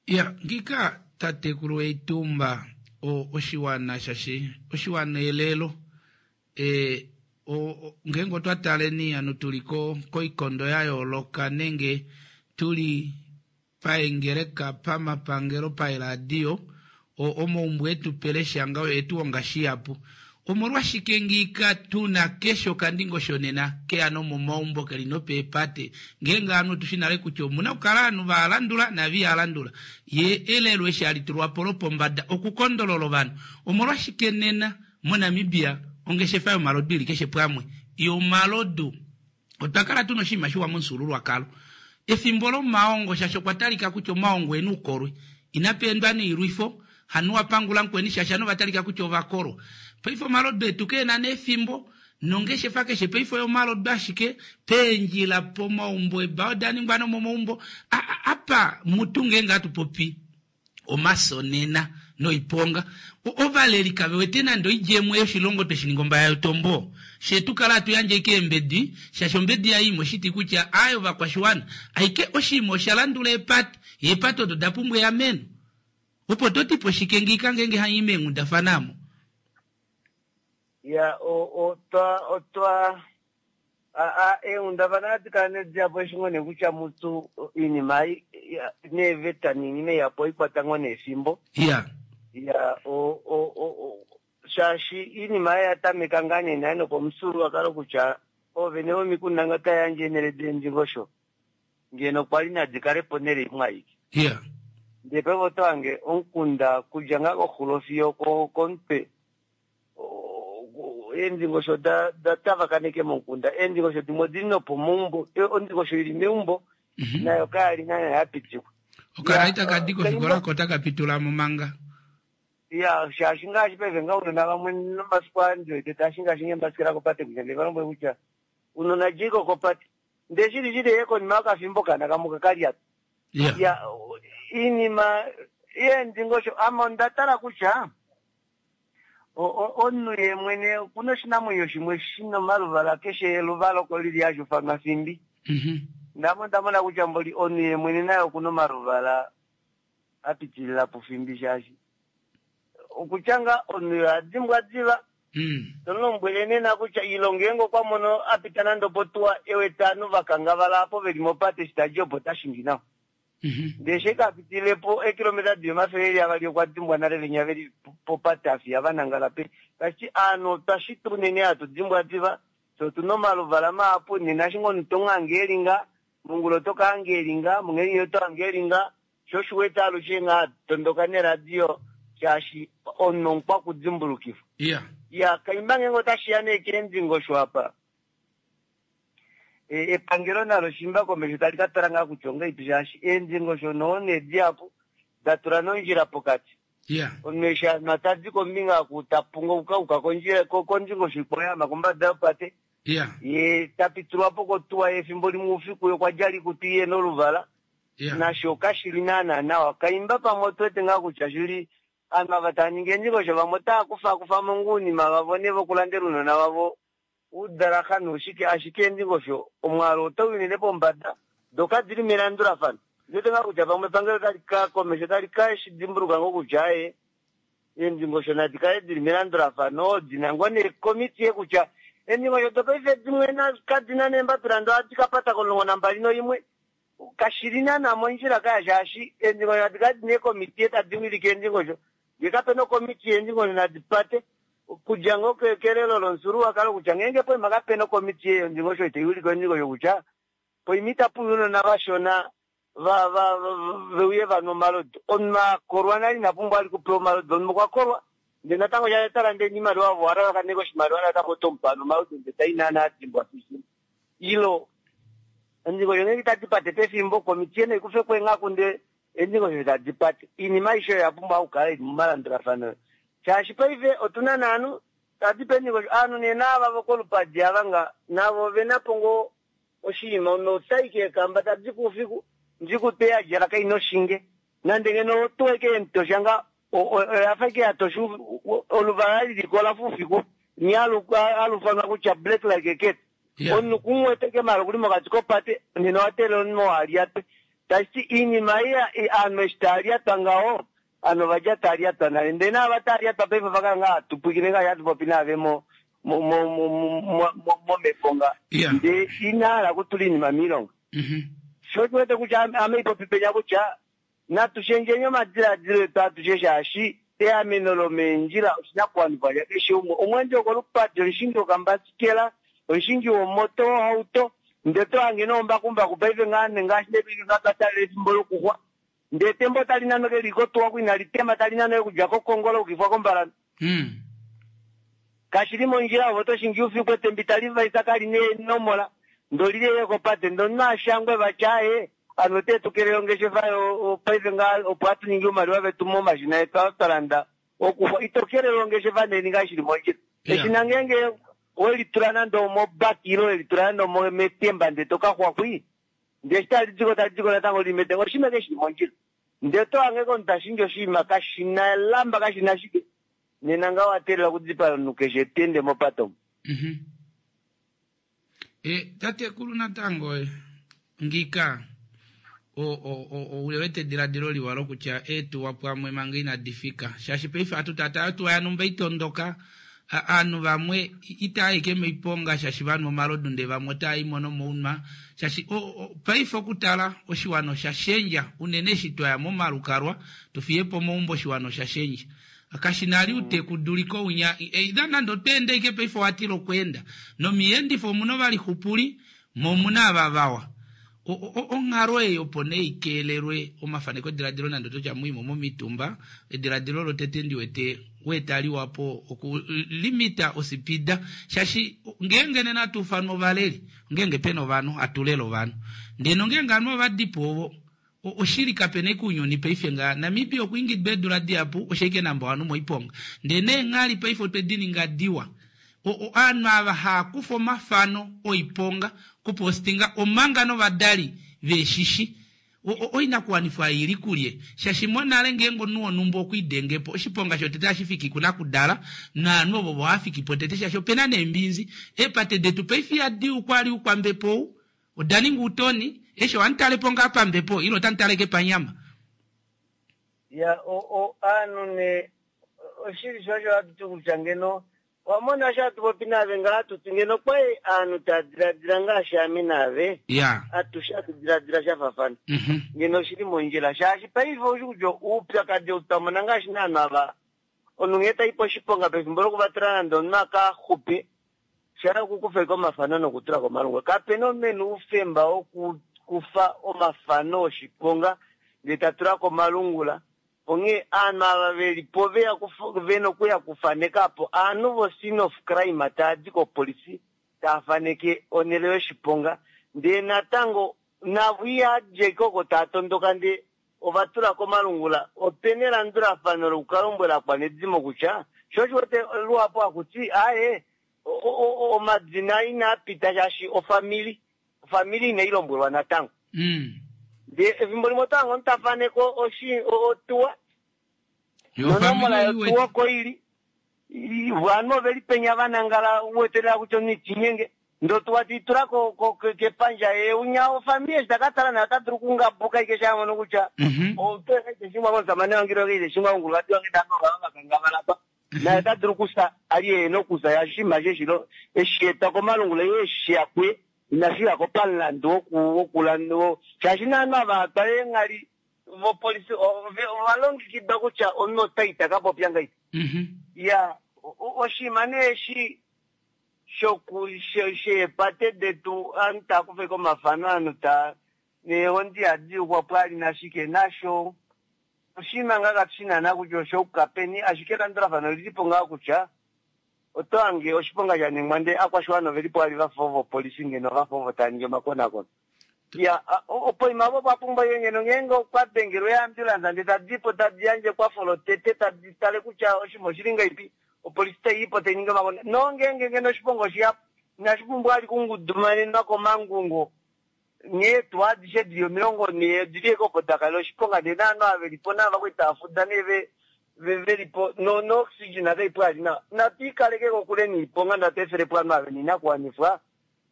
Ya ngiika tatekulu Eitumba o oshiwana shashi oshiwana elelo e o ngeenge otwa taleni anu tuli ko koikondo ya yooloka nenge tuli paengeleka, pamapangelo, paeradio, o, omaumbo etu pelesha ngaho etu honga shihapu. Omolwashike ngiika tu na keshe okandingosho nena keya nomomaumbo keli nopeepate, ngeenge ovanhu otu shi nale kutya omuna okukala ovanhu va landula naava iha landula. Ye elelo eshi hali tulwa po lopombada okukondolola ovanhu. Omolwashike nena moNamibia ongeshefa yomalodu ili keshe pwamwe? Yomalodu. Otwa kala tuna oshinima shiwa momufyuululwakalo efimbo lomaongo shaashi okwa talika kutya omaongo ena oukolwe. Inapa endwa noilwifo, hanu wa pangula mukweni shaashi ovanhu ova talika kutya ova kolwa. Paife omalodu etu keena nee efimbo nongeshefa keshe paife oyomalodu ashike, peendjila, pomaumbo, eebaa oda ningwa nomomaumbo. Apa mutu ngeenge hatu popi omaso nena noiponga. Ovaleli kave wete nande oidjemo yoshilongo twe shi ninga ombaya yotombo. Fye tu kala hatu yandje ashike eembedi, shaashi ombedi yaye imwe oshiti kutya aaye ovakwashiwana. Ashike oshinima osha landula eepate, eepate odo da pumbwa eameno. Opo to ti po shike ngiika ngeenge hamu i meenghundafana amo? Ya, otwa, otwa, a, eenghundafana ohadi kala nee dihapu eshi ngoo nee kutya mutu iinima ei, neeveta niinima ihapu ohai kwata ngoo nee efimbo. Ya. Ya, o, o, o, o, shaashi iinima ei oya tameka ngaa nee nale nokomufyuululwakalo kutya oovene vomikunda ngee otava yandje eenhele deendingosho, ngeno okwa li nadi kale ponhele imwe aike. Ya. Ndee paife oto hange omukunda kudja ngaa koxulo fiyo komutwe Eendingosho da da tavakaneke momukunda. Eendingosho dimwe odi li nopomaumbo. Ondingosho ili meumbo mhm. nayo kaya li naana ya pitikwa. Okalaita ka di kofikola ko otaka pitula mo manga. Ya, shaashi ngaashi paife nga unona vamwe nomafiku aa ndi wete taa shingashinga eembasikela kopate kutya nde va lombwele kutya unona djei ko kopate. Ndee shili shili ye konima yokafimbo okaana kamwe okaka lyata. Ya, iinima yeendingosho ame onda tala kutya Omunhu ye mwene oku na oshinamwenyo shimwe shi na omaluvala, keshe eluvala oko li li hali ufanwa fimbi. Ndame onda mona kutya mboli omunhu ye mwene naye oku na omaluvala a pitilila pufimbi shaashi okutya ngaa omunhu ye oha dimbwa diva. To mu lombwele nena kutya ilo ngeenge okwa mono a pita nande opotuwa e wete ovanhu va kangavala apo ve li mopate eshi ta di opo ota shingi nawa. Ndele eshi ka pitile po eekilometa di li 200 okwa dimbwa nale venya ve li popate a fiya va nangala pe. Tashi ti aanhu otwa shitwa unene hatu dimbwa diva, fye otu na omaluvala mahapu. Nena eshi ngoo omunhu to mu hange e li nga, mongula oto ka hanga e li nga, monghedi oto hanga e li nga. Sho osho u wete alushe nghaa hatu tondoka neradio shaashi omunhu omukwakudimbulukifwa. Iya, kaimba ngeenge otashi ya nee keendingosho apa. Epangelo nalo shimba komesho tali ka tala ngaa kutya ongahelipi shaashi eendingosho noo nee dihapu da tula nondjila pokati. Omunhu eshi a nwa tadi kombinga oku ta punga okuka kondjila kondingosho ikwao ya ama kombada yopate ye ta pitulwa po kotuwa ye efimbo limwe oufiku ye okwa djala oikutu ihe na oluvala nasho kashi li naana nawa. Kaimba pamwe otu wete ngaa kutya shili ovanhu ava tava ningi eendingosho vamwe otava kufakufa mo ngoo ounima vavo nee vokulandela ounona vavo Uudalaha nuushike ashike eendingosho omwaalu otau i unene pombada, do kadi li melandulafano. Ondi wete ngaa kutya pamwe epangelo otali ka komesho otali ka shi dimbuluka ngoo kutya aaye, eendingosho nadi kale di li melandulafano, di na ngoo neekomitiye kutya eendingosho dopaife dimwe kadi na neembapila ndoo ohadi ka pata komulongo nambali noimwe. Kashi li naana mondjila kaya shaashi eendingosho nadi kale di na eekomitiye tadi wilike eendingosho. Ngee kape na okomitiye eendingosho nadi pate. Okudja ngoo kelelo lomufyuululwakalo kutya ngeenge poima kape na okomitiye yondingosho itai wilike ondingosho kutya poima itapu uya ounona vashona va va ve uye va nwe omalodu. Omunhu a kolwa nale ina pumbwa vali okupewa omalodu. Omunhu okwa kolwa ndele natango shaashi ota lande oimaliwa ove owa lalakanene oshimaliwa natango oto mu pe ano omalodu ndele tai naana a dimbwa filufilu. Ilo ondingosho ngeenge itadi pate pefimbo, okomitiye nai kufe ko eenghaku ndele eendingosho tadi pate. Oinima aishe oyo oya pumbwa okukala i li momalandulafano shaashi paife otu na naanhu tadi pe eendingosho. Ovanhu nee naava vokolupadi ava nga navo ove na po ngoo oshinima. Omunhu ota i keekamba tadi ko oufiku, ndikutu ei a djala kai na oshinge. Nande ngeno otuwa ike yemutosha nga oya fa ike ya tosha oluvala liliko olafa oufiku nghee alufanwa kutya black like a cat. Omunhu kumuwete ike maala okuli mokati kopate nena owa teelela omunhu oo alyatwe. Tashiti iinima ei aanhu eshi tava lyatwa ngaho ovanhu ova dja tava lyatwa nale ndele naava tava lyatwa paife ova kala ngaa hatu pwilikine ngaashi hatu popi naave mo momhepo nga ndee ina hala okutula iinima moilonga. Sho osho wete kutya ame ipopi penya kutya natu shendjeni omadiladilo etu atushe shaashi eameno lomeendjila oshinakuwanifwa shakeshe umwe. Omweendi wokolupadi, omushingi wokambasikela, omushingi womoto wohauto, ndee oto hange noombakumbaku paife ngaa ngaashi nee paife ngaa twa taalela efimbo lokuxwa ndee etemba otali nano ke li kotuwa ku inali tema tali nano okudja kOkongo la ukifwa kOmbalantu. Kashi li mondjila ove oto shingi oufiku etemba itali vaisa kali na eenomola ndee oli li ashike kopate ndee omunhu a shangwe vati aaye ovanhu ote tu kelele ongeshefa yo paife ngaa opo hatu ningi oumaliwa vetu momashina etu aa twa landa okuxwa. Ito kelele ongeshefa nee ninga shili mondjila. Eshina ngeenge we li tula nande omobaki ile we li tula nande ometemba ndee to ka xwa xwii ndee eshi tali diko tali diko natango lili metemba oshinima eke shili mondjila. Ndee oto hange komunhu ta shingi oshinima kashi na elamba kashi na shike nena ngaho owa teelela okudipaya omunhu keshe ta ende mopate omo. Tatekulu natango ngiika ou wete ediladilo liwa lokutya eetuwa pwamwe manga inadi fika shaashi paife hatu taataa otuwa yanumba itondoka aanhu vamwe itaya ike moiponga shaashi vanwa omalodu ndee vamwe otaya imo nomounwa shaashi paife okutala oshiwana osha shendja unene eshi twaya momalukalwa tufiyepo omaumbo oshiwana osha shendja Kashi na ali utekuduliko unya either nande oto ende ike paife owa tila okweenda nomiyeendifo omuna ovalixupuli mo omuna ava vawa. Onghalo ei opo nee ikeelelwe omafaneko ediladilo nande oto tya muimo momitumba ediladilo lotete ndi wete weetaliwa po oku limita osipida shaashi ngeenge nena atu ufanwa ovaleli ngeenge pena ovanhu atu lele ovanhu ndee nongeenge ovanhu ovadipo ovo Oshili kapena eke ounyuni paife nga Namibia okwa ingidwa eedula dihapu osho ike namba ovanhu moiponga ndee neenghali paife otwe dininga diwa ovanhu ava haakufa omafano oiponga kupostinga omanga novadali veeshishi oinakuwanifwa ei ili kulye shaashi monale ngeenge omunhu wonhumba okwa idengepo oshiponga shotete ohashi fiki kunakudala novanhu ovo vohafikipo tete shaashi opena neembinzi eepate detu paife ihadi ukwali ukwambepo ou Oda ninga uutoni, eshi ohandi tale po ngaa pambepo ile otandi tale ke panyama? Ya, o, o, aanhu ne, oshili sho osho hatu ti kutya ngeno, owa mona eshi hatu popi naave ngaha hatu ti ngeno okwali aanhu taa diladila ngaashi ame naave, Ya. atushe hatu diladila sha faafana, Mhm. ngeno oshili mondjila. Shaashi paife oushi kutya oupyakadi ou twa mona ngaashi naanhu ava, omunhu nghee tai poshiponga pefimbo lokuvatela nande omunhu a ka xupe, Sha okukufa ashike omafano nokutula komalungula. Kape na omunhu e na oufemba wokukufa omafano oshiponga ndee ta tula komalungula. Onghee aanhu ava ve li po ve ya ve na okuya kufaneka apo aanhu vo scene of crime tava di kopolisi tava faneke onhele yoshiponga ndee natango navo iha dje oko tava tondoka ndee ova tula komalungula. Ope na elandulafano lokukalombwela akwanedimo kutya sho osho wete luhapu haku ti aaye omadina inaa pita shaashi ofamili ofamili inai lombwelwa natango. Ndee efimbo limwe oto hange omunhu ta faneke oshi otuwa nonomola yotuwa oko ili ovanhu oveli penya va nangala u wete lela kutya omunhu itinyenge ndee otuwa tei tula kepandja ye unya ofamili eshi taka tala naye ota dulu okungabuka ashike eshi a mono kutya otuwa ite shingwa komusamane wange ile ite shingwa komukulukadi wange ndee ovanhu ova vakangavala apa naye ota dulu okusa ali e na okusa shaashi oshinima eshi eshilo eshi etwa komalungula ile eshi ya kuye inashi ya ko pamulandu wokulanda shaashi naanhu ava twala eenghali vopolifi ova longekidwa kutya omunhu ota ita ka popya ngahelipi. Ya oshinima nee eshi shoku sheepate detu ovanhu tava kufa ashike omafano ovanhu taa neehondi ihadi yukwa pwali nashike nasho oshinima ngaa katu shi naana kutya osha yuka peni ashike elandulafano olili po ngaa kutya oto hange oshiponga sha ningwa ndee akwashiwana oveli po vali vafa ovopolifi ngeno vafa ovo tava ningi omakonakono. Ya, opoima opo opwa pumbwa ashike ngeno ngeenge okwa dengelwa eeambulance ndee tadi po tadi yandje ekwafo lotete tadi tale kutya oshinima oshili ngahelipi, opolifi tai i po tai ningi omakonakono. Nongeenge ngeno oshiponga oshihapu, inashi pumbwa vali okungudumanenwa komangungo. Nghee eetuwa adishe dili 40 odili ashike opo da kalela oshiponga ndee naanhu ava velipo nava kwali tava fuda nee ve velipo no no oxygen kaipo yali nawa. Natu ikaleke kokule niiponga natu efelepo ovanhu ava vena oinakuwanifwa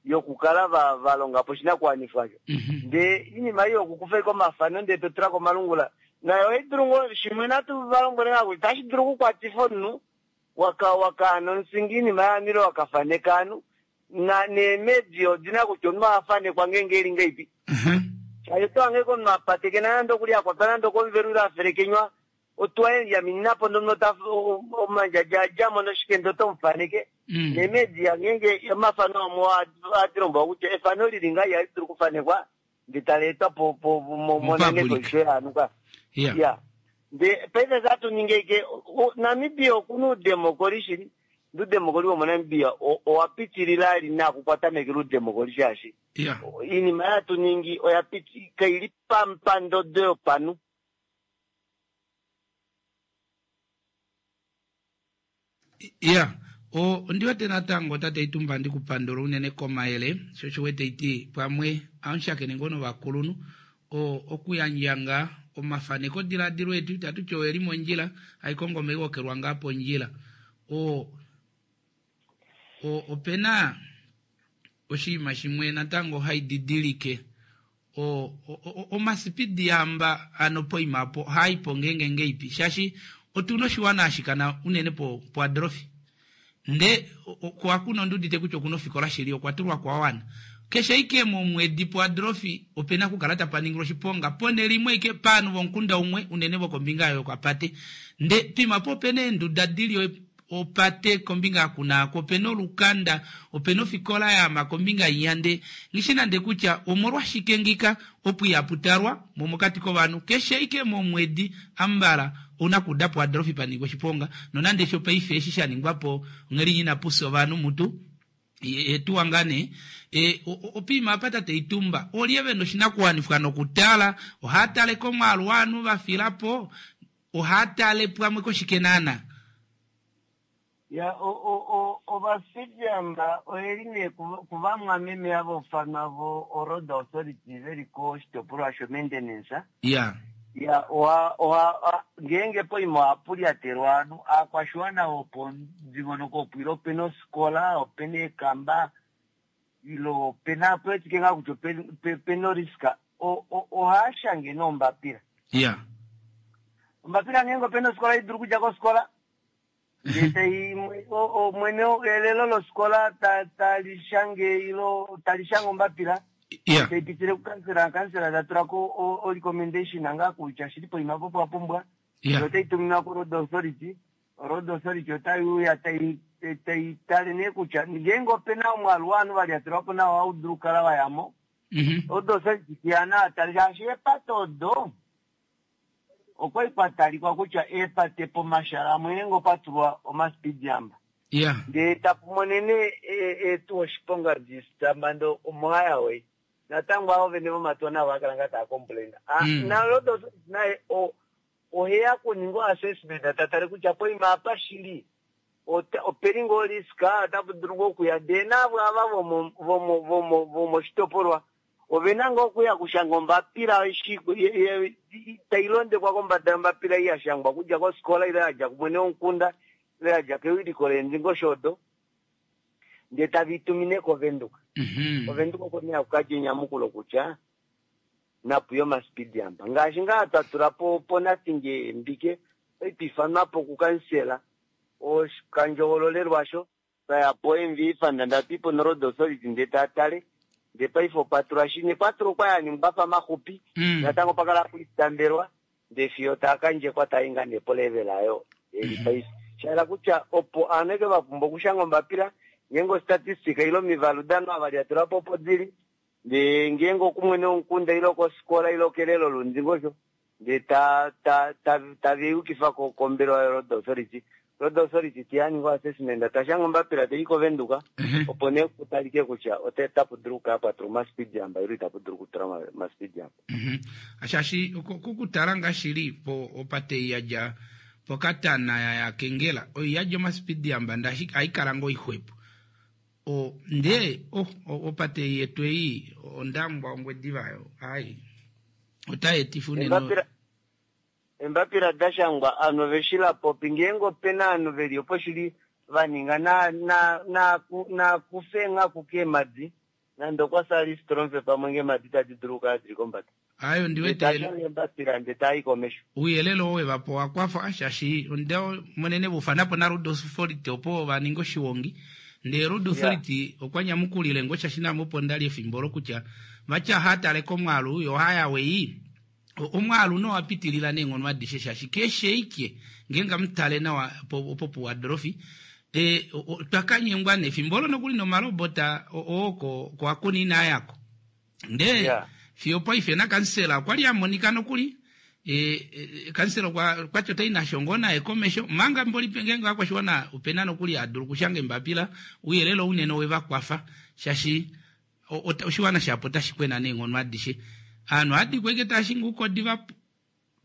yokukala va va longa po oshinakuwanifwa osho. Ndee iinima ei yokukufa ashike omafano ndee to tula komalungula nayo ohai dulu ngoo shimwe natu va lombwele ngaa kutya otashi dulu okukwatifa omunhu waka wakaana omusingi iinima yaanhu ile wakafaneka ovanhu na neemedi odi na kutya omunhu oha fanekwa ngeenge eli ngahelipi. Shaashi oto hange komunhu a patekena nande okuli a kwatwa nande okomuvelu ile a felekenywa otuwa ye lyaminina po ndele omunhu ota omandjadja a dja mo noshike ndele oto mu faneke. Neemedi ngeenge omafano amwe ohadi lombwelwa kutya efano lili ngaha ihali dulu okufanekwa ndele tali etwa po po monene koisho yaanhu ka. Ya. Ndee paife sa hatu ningi ashike Namibia okuna oudemokoli shili, ndee oudemokoli womoNamibia owa pitilila ali nakukwata meke loudemokoli shaashi oinima ei hatu ningi oya piti kaili pandodo yopanhu. Ya, ondi wete natango tate Itumba ndi ku pandula unene komayele, sho osho wete iti pamwe amushakene ngoo novakulunhu, o, okuyandja ngaa omafaneko diladilo etu, itatu ti oeli mondjila, haikongo omaiwokelwa ngaa pondjila. O, o, opena oshinima shimwe natango hai didilike o, omasipidi amba ano poima apo ohaipo ngeenge ngeipi shaashi otuna oshiwana hashi kana unene po poadrofi nde kwakuna ondiudite kutya okuna ofikola shili okwa tulwa kwawana keshe ike momwedi poadrofi opena okukala tapa ningilwa oshiponga ponhele imwe ike paanhu vomukunda umwe unene vokombinga yokapate nde poima po opena eenduda dili opate kombinga yakunaako, opena olukanda, opena ofikola yaama kombinga inya nde nghishi nande kutya omolwashike ngika opo ihapu talwa mo mokati kovanhu keshe ike momwedi ambala ouna kuuda po Adolfi pa ningwa oshiponga nonande sho paife eshi sha ningwapo ongheli ina pufya ovanhu mutu etuwa ngaa nee e, opiima apa tate Itumba olye vena oshinakuwanifwa nokutala ohaa tale komwaalu waanhu va filapo ohaa tale pamwe koshike naana? Ya, o, o, o, Ovafijamba oyeli nee kuvamwameme ava ufanwa vo o Road Authority veli koshitopolwa sho maintenance. Ya. Ya, oha, oha, ngeenge poima ohapu lyatelwa ovanhu, aakwashiwana vopomudingonoko opo ile opena ofikola, opena eekamba, ile opena ope wetike ngaa kutya opena orisk, ohaa shange nee ombapila. Ya. Ombapila ngeenge opena ofikola idulu okudja kofikola, ndee tai mwene elelo lofikola tali shange ilo tali shange ombapila, tai pitile kukansela, kansela ta tula ko o recommendation ngaa kutya shili poima po pwa pumbwa, ndee otai tuminwa ko road authority, Road Authority otai uya tai tai tale nee kutya ngeenge ope na omwaalu wovanhu va lyatelwa po nawa ohau dulu okukala wa ya mo. Road Authority teya naa tale shaashi eepate odo okwa li kwa talikwa kutya eepate pomashala amwe ngeenge opa tulwa omaspeed jump ndee tapu monene eetuwa oshiponga di omo highway natango avo vene vomatuwa navo ohava kala ngaa tava complain. Na Road Authority naye Oheya okuninga o assessment ta tale kutya poima apa shili opeli ngoo risk, otapu dulu ngoo okuya ndee naavo ava vomoshitopolwa ovena ngoo okuya okushanga ombapila tai londekwa kombada yombapila ei ya shangwa okudja kofikola ile yadja kumwene womukunda ile yadja kewiliko leendingosho odo ndee tave i tumine koVenduka. KOvenduka oko nee haku kadja enyamukulo kutya napu ye omasipidi amba. Ngaashi ngaa twa tula po poNathinge Mbike, okwali twa ifanwa po kukansela woshikandjohololelwa sho, twa ya po MVA Fund ndele tatu i po noRoad Authority ndele taya tale, ndele paife opwa tulwa shi nekwatulo okwali ya ningwa afa maxupi, natango opa kala hapu itambelwa ndele fiyo taa ka ndjekwa taa i ngaa nee polevel ayo eli paife. Sha hala kutya opo aanhu eke va pumbwa okushanga ombapila ngeenge ostatistika ile omivalu danhu ava lyatula po opo dili, Ndee ngeenge okumwene womukunda ile okofikola ile okelelo lomudingosho, ndee ta, ta, ta, tave yukifa ko, kombelewa yoRoad Authority. Road Authority te ya ninga oassessment, ta shanga ombapila tai i kOvenduka, opo nee ku talike kutya ota, otapu dulu okukala pwa tulwa omaspeed jump ile itapu dulu okutulwa oma, omaspeed jump. Shaashi kokutala ngaa shili po opate ei ya dja pOkatana ya ya kEngela, oi yadi omaspeed jump ndee ashike ohai kala ngoo ixwepo. O, ndee oh, opate yetu ei Ondangwa Ongwediva yo ai otai etifa unene Embapila embapila da shangwa ovanhu ove shi lapopi ngeenge ope na ovanhu ve li opo shili va ninga na na na na kufe eenghaku keemadi nande okwa sali stromfe pamwe ngeemadi tadi dulu okukala dili kombada. Ayo ndi Ndee wete ta shange embapila ndee taa i komesho. Ouyelele oo we va pa owa kwafa shaashi onda monene va ufana po naRoad Authority opo va ninge oshiwongi ndee Road Authority okwa nyamukulile ngo shaashi naame opo ndali efimbo olo kutya vati ohaa tale komwaalu yo ohaya wei omwaalu no wa pitilila neenghono adishe shaashi keshe ike ngeenge amu tale nawa opo puwadrofi e, otwa ka nyengwa nefimbo olo nokuli nomalobota oo ko ko akuni inaa yako ndee Yeah. fiyo paife nakansela okwa li a monika nokuli e, e, kansela okwa kwati otai nasho ngoo naye komesho manga mboli ngeenge ovakwashiwana opena nokuli a dulu okushanga embapila ouyelele ounene owe va kwafa shaashi oshiwana shapo otashi kwena neenghono adishe aanhu ohadikwa ike taa shingi oukodi va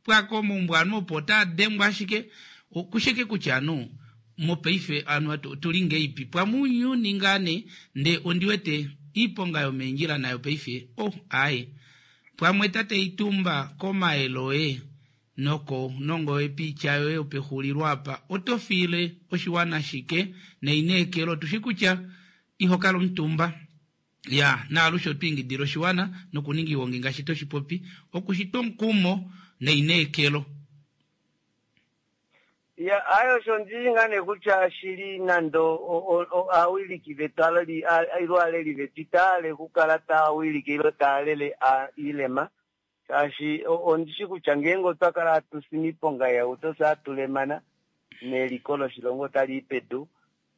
pwako omaumbo ovanhu opo otaa dengwa ashike okusheke kutya anu mopaife anu otuli ngeipi pwamunyuni ngaa nee ndee ondi wete iiponga yomeendjila nayo paife oh aaye pwamwe tate Itumba komayele oye noko nongo wepiitya yoye yopexulilo apa oto fiile oshiwana shike neineekelo tushi kutya iho kala omutumba ya naalushe oto ingidile oshiwana nokuninga iiwongi ngaashi to shi popi okushitwa omukumo neineekelo. Ya, ayo osho ndili ngaa nee kutya shili nande aawiliki vetu aleli ilo aaleli vetu itaya okukala taya wilike ilo taya lele iilema shaashi ondishi kutya ngeenge otwa kala hatu si miiponga yauto fye hatu lemana neliko loshilongo otali i pedu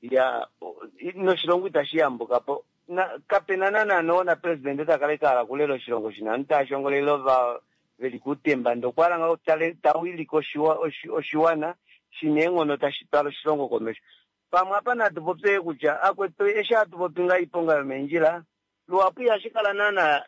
ya noshilongo itashi yambuka po na kapena naana noona presidente ta kala ikahala okulela oshilongo shina ovanhu tava shongolele ova veli kuutemba ndee okwa hala ngaho ta wilike oshiwana shina eenghono tashi twala oshilongo komesho. Pamwe apa natu popye kutya akwetu eshi hatu popi ngaha oiponga yomeendjila luhapu ihashi kala naana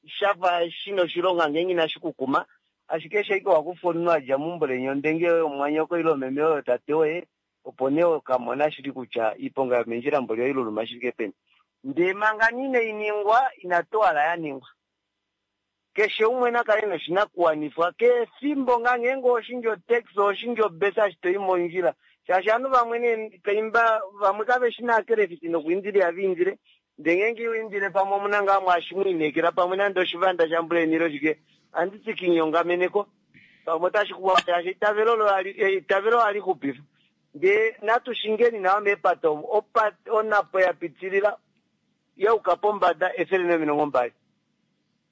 shafa shina oshilonga ngeenge inashi kukuma ashike eshi ashike wakufa omunhu adja meumbo leni ondenge yoye omumwanyoko ile omeme oyo tate woye opo nee okamona shili kutya iiponga yomeendjila mboli oiluluma shifike peni. Ndee manga inai ningwa inatu hala ya ningwa. Keshe umwe na kale noshinakuwanifwa kefimbo ngaa ngeenge oshingi otaxi oshingi obesa eshi toi mondjila shaashi ovanhu vamwe nee kaimba vamwe kave shi naakelefiti nokuindila ihava indile ndee ngeenge iho indile pamwe omuna ngaa mwaashi mwiinekela pamwe nande oshivanda shambuleni ile oshike anditi kinyongameneko pamwe otashi kuwa shaashi eitavelo olo eitavelo ohali xupifa ndee natu shingeni nawa meepate omo onapo ya pitilila yauka pombada 120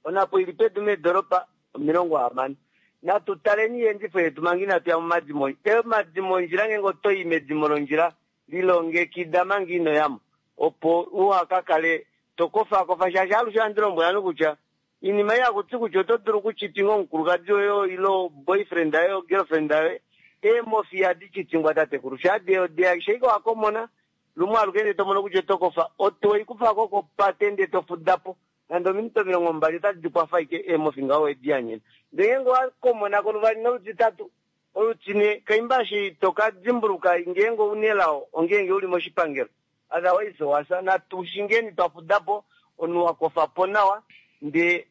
onapo ili pedu meedoropa 60. Natu taleni iendifo yetu manga inatu ya momadimo. Emadimo ondjila ngeenge oto i medimo londjila lilongekida manga ino yamo opo uha ka kale to kofakofa shaashi alushe ohandi lombwele ovanhu kutya iinima ei hakuti kutya oto dulu okuchitinga omukulukadi woye ile boyfriend yoye girlfriend yoye eemofi ihadi chitingwa tatekulu shaadi sheike wakomona lumwe aluke ndee to mono kutya oto kofa oto i kufako kopate ndee to fuda po nande ominute 20 otadi di kwafa ike eemofi ngaho wedi yanyena ndee ngeenge owakomonako luvali nolutitatu olutine kaimba eshi to ka dimbuluka ngeenge ouna elao ongeenge uli moshipangelo otherwise owafya natu shingeni twa fudapo omunhu wakofapo nawa ndee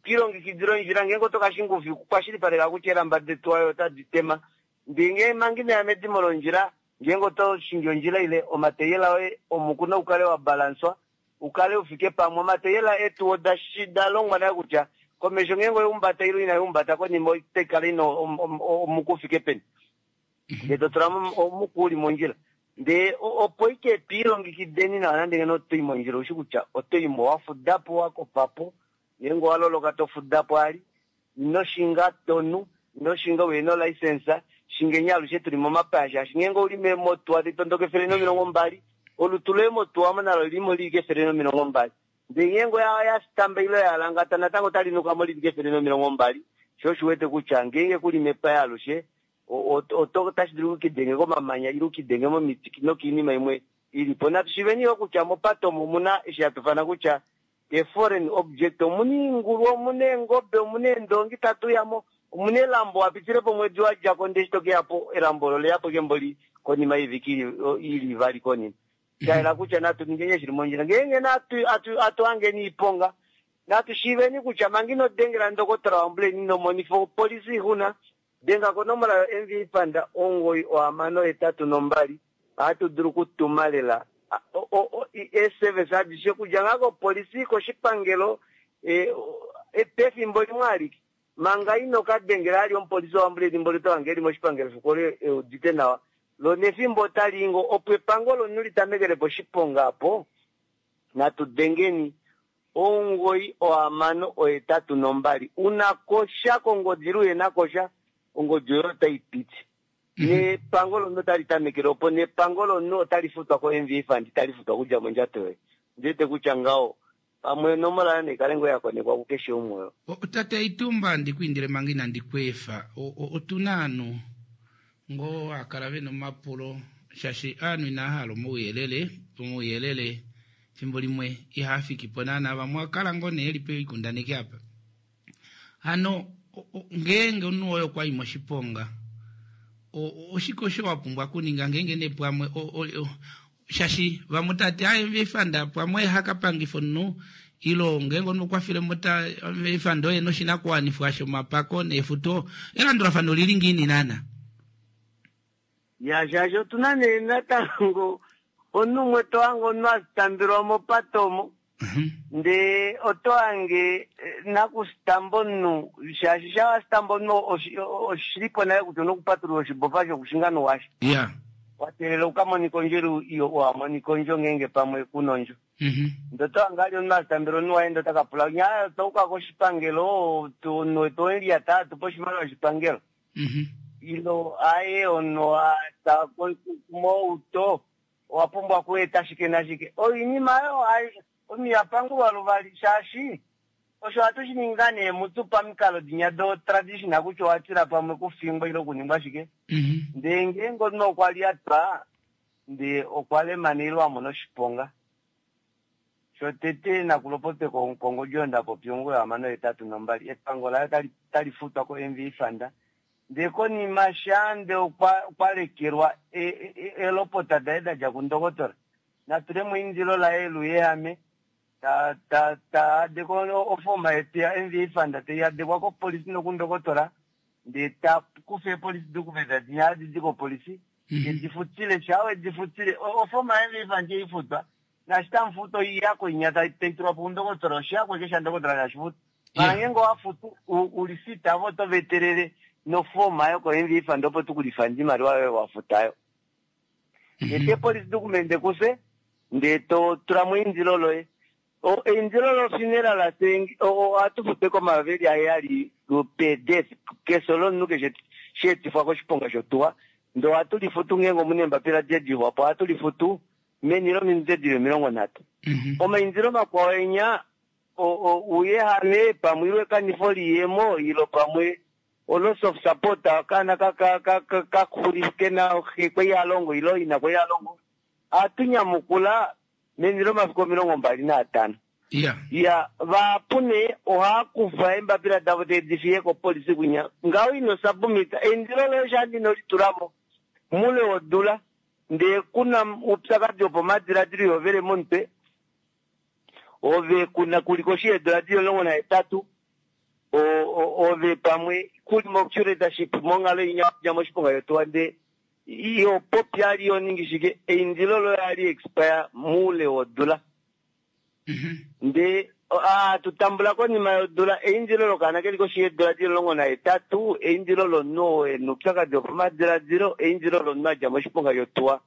twilongekidile ondjila ngeenge oto kashinga oufiku kwashilipaleka kutya eelamba detu ayo otadi tema ndee ngee manga inoya medimo londjila ngeenge oto shingi ondjila ile omateyela oye omuku naukale wa balanswa ukale ufike pamwe omateyela etu oda da longwa naye kutya komesho ngeenge oyaumbata ile inaiumbata konima otaikala ina omuku ufike peni ndee to tulamo omuku uli mondjila ndee opo ike twiilongekideni nawa nande ngeno otoi mondjila oushi kutya otoimo wafudapo wakofapo ngeenge owaloloka tofudapo ali ino shinga tonu ino shinga uhena olicense shingeni alushe tuli momapaya shaashi ngeenge ouli meemotuwa taitondoka 120 olutu loye motuwa omo nalo lilimo lili ke120 ndee ngeenge oya stamba ile oyalangata natango otali nukamo lili ke120 sho oshiwete kutya ngeenge kuli mepaya alushe otashi dulu ukidenge komamanya ile ukidenge momiti nokiinima imwe ilipo. Natu shiveni yo kutya mopate omo omuna eshi hatufana kutya a foreign object omuna iingulu omuna eengobe omuna eendongi tatu yamo omuna elambo wapitilepo omwedi wadjako ndee eshi tokeyapo elambo olo oleyapo kemboli konima yoivike ili ivali konima. Shayela kutya natu ningeni shili mondjila. Ngeenge natu atu hangeni iiponga, natu shiiveni kutya manga ino dengela ndokotola woambuleni ino monifa opolisi ixuna, denga konomola yo MVA Fund 9682. Ohatu dulu okutuma lela eeservice adishe okudja ngaa kopolisi, koshipangelo, pefimbo limwe alike. Manga ino ka dengela ali omupolisi woambuleni mboli oto hange eli moshipangelo fiku olo eudite nawa. Lo nefimbo otali i ngoo opo epango lomunhu li tamekele poshiponga apo, natu dengeni 9682. Una kosha kongodi ile uhena kosha, ongodi oyo otai piti. Nepango lomunhu otali tamekele opo, nepango lomunhu otali futwa ko-MVA Fund, itali futwa okudja mondjato yoye. Ondi wete kutya ngaho pamwe onomola yoye nai kale ngoo ya konekwa kukeshe umwe oyo. Tate Itumba, ndi ku indile manga inandi ku efa, otu na aanhu ngoo haa kala ve na omapulo, shaashi aanhu inaa hala omauyelele, omauyelele efimbo limwe ihaa fiki po naana, vamwe oha kala ngoo nee eli poikundaneki apa. Hano ngeenge omunhu woye okwa i moshiponga, oshike osho wa pumbwa okuninga ngeenge nee pwamwe shaashi vamwe otava ti aaye MVA Fund pwamwe oye haka pangifa omunhu ilo ngeenge omunhu okwa file mo ta MVA Fund oye noshinakuwanifwa shomapako neefuto, elandulafano olili ngiini naana? Ya shaashi otu na nee natango omunhu umwe to hange omunhu a tambelwa mopate omo ndee oto hange nakusitamba omunhu shaashi sha wasitamba omunhu oshilipo nale kutya una okupatulula oshibofa shokushinga nowasha wa teelela uka monika ondjo ile wa monika ondjo ngeenge pamwe kuna ondjo. Ndee oto hange ali omunhu asitambela omunhu waye ndee ota ka pula nyaa otwa uka koshipangelo omunhu wetu owemulyata atupe oshimaliwa shoshipangelo. Ilo aye omunhu a mouto owa pumbwa okueta shike nashike. Oinima oyo omunhu iha pangulwa luvali shaashi osho ohatu shi ningi ngaa nee mutu pamikalo dinya do traditional kutya owa tila pamwe okufingwa ile okuningwa shike. Ndee ngeenge omunhu okwa lyatwa ndee okwa lemana ile a mona oshiponga, shotete nakulopotwe kongodi oyo nda popya 968 epango laye otali futwa ko-MVA Fund. Ndee konima sha nde okwa lekelwa eelopota daye da dja kundokotola, natulemo eindilo laye luyehame ta adeko ofoma yetu ya MVA Fund tai adekwa kopolisi nokundokotola, ndee ta kufa eepolisi document dinya hadi di kopolisi tedi futile, sha wedi futile ofoma ya MVA Fund ei futwa, naashi tamu futu oiyako inya tai tulwa po kundokotola, oshiyako eke shandokotola tashi futwa. Mara ngeenge owa futu ulisita avo oto va etelele nofoma yoko MVA Fund opo tu ku lifande oimaliwa yoye wa futayo. Eta epolisi document kufye ndee to tula mo eindilo loye. Eindilo lo funeral ohatu futu eke omayovi eli aheyali per death, kefyo lomunhu keshe sha etifwa koshiponga shotuwa. Ndee ohatu lifutu ngeenge omuna eembapila delixwapo ohatu lifutu meni lominute dili 30. Omaindilo makwao enya ouyehame pamwe ilo ekanifo liiyemo ilo pamwe o loss of support okaana kaxuli kena xe kwali ha longo ilo ina kwali ha longo, ohatu nyamukula meni lomafiku 25. Ya vahapu nee ohaa kufa eembapila davo tedi fiye kopolisi kwinya ngaho ino submit eindilo loye shandi ino litulamo mule wodula ndee kuna oupyakadi wopomadiladilo ihovele momutwe ove kuna kuli koshi yeedula dili 18 ove pamwe kuli mo curatorship monghalo inya dja moshiponga shotuwa ndee iho popi ali iho ningi shike eindilo loye ohali expire moule wodula. Ndee hatu tambula konima yodula eindilo lokaana keli koshi yeedula dili 18, eindilo lomunhu oo ena oupyakadi wopamadiladilo, eindilo lomunhu adja moshiponga shotuwa.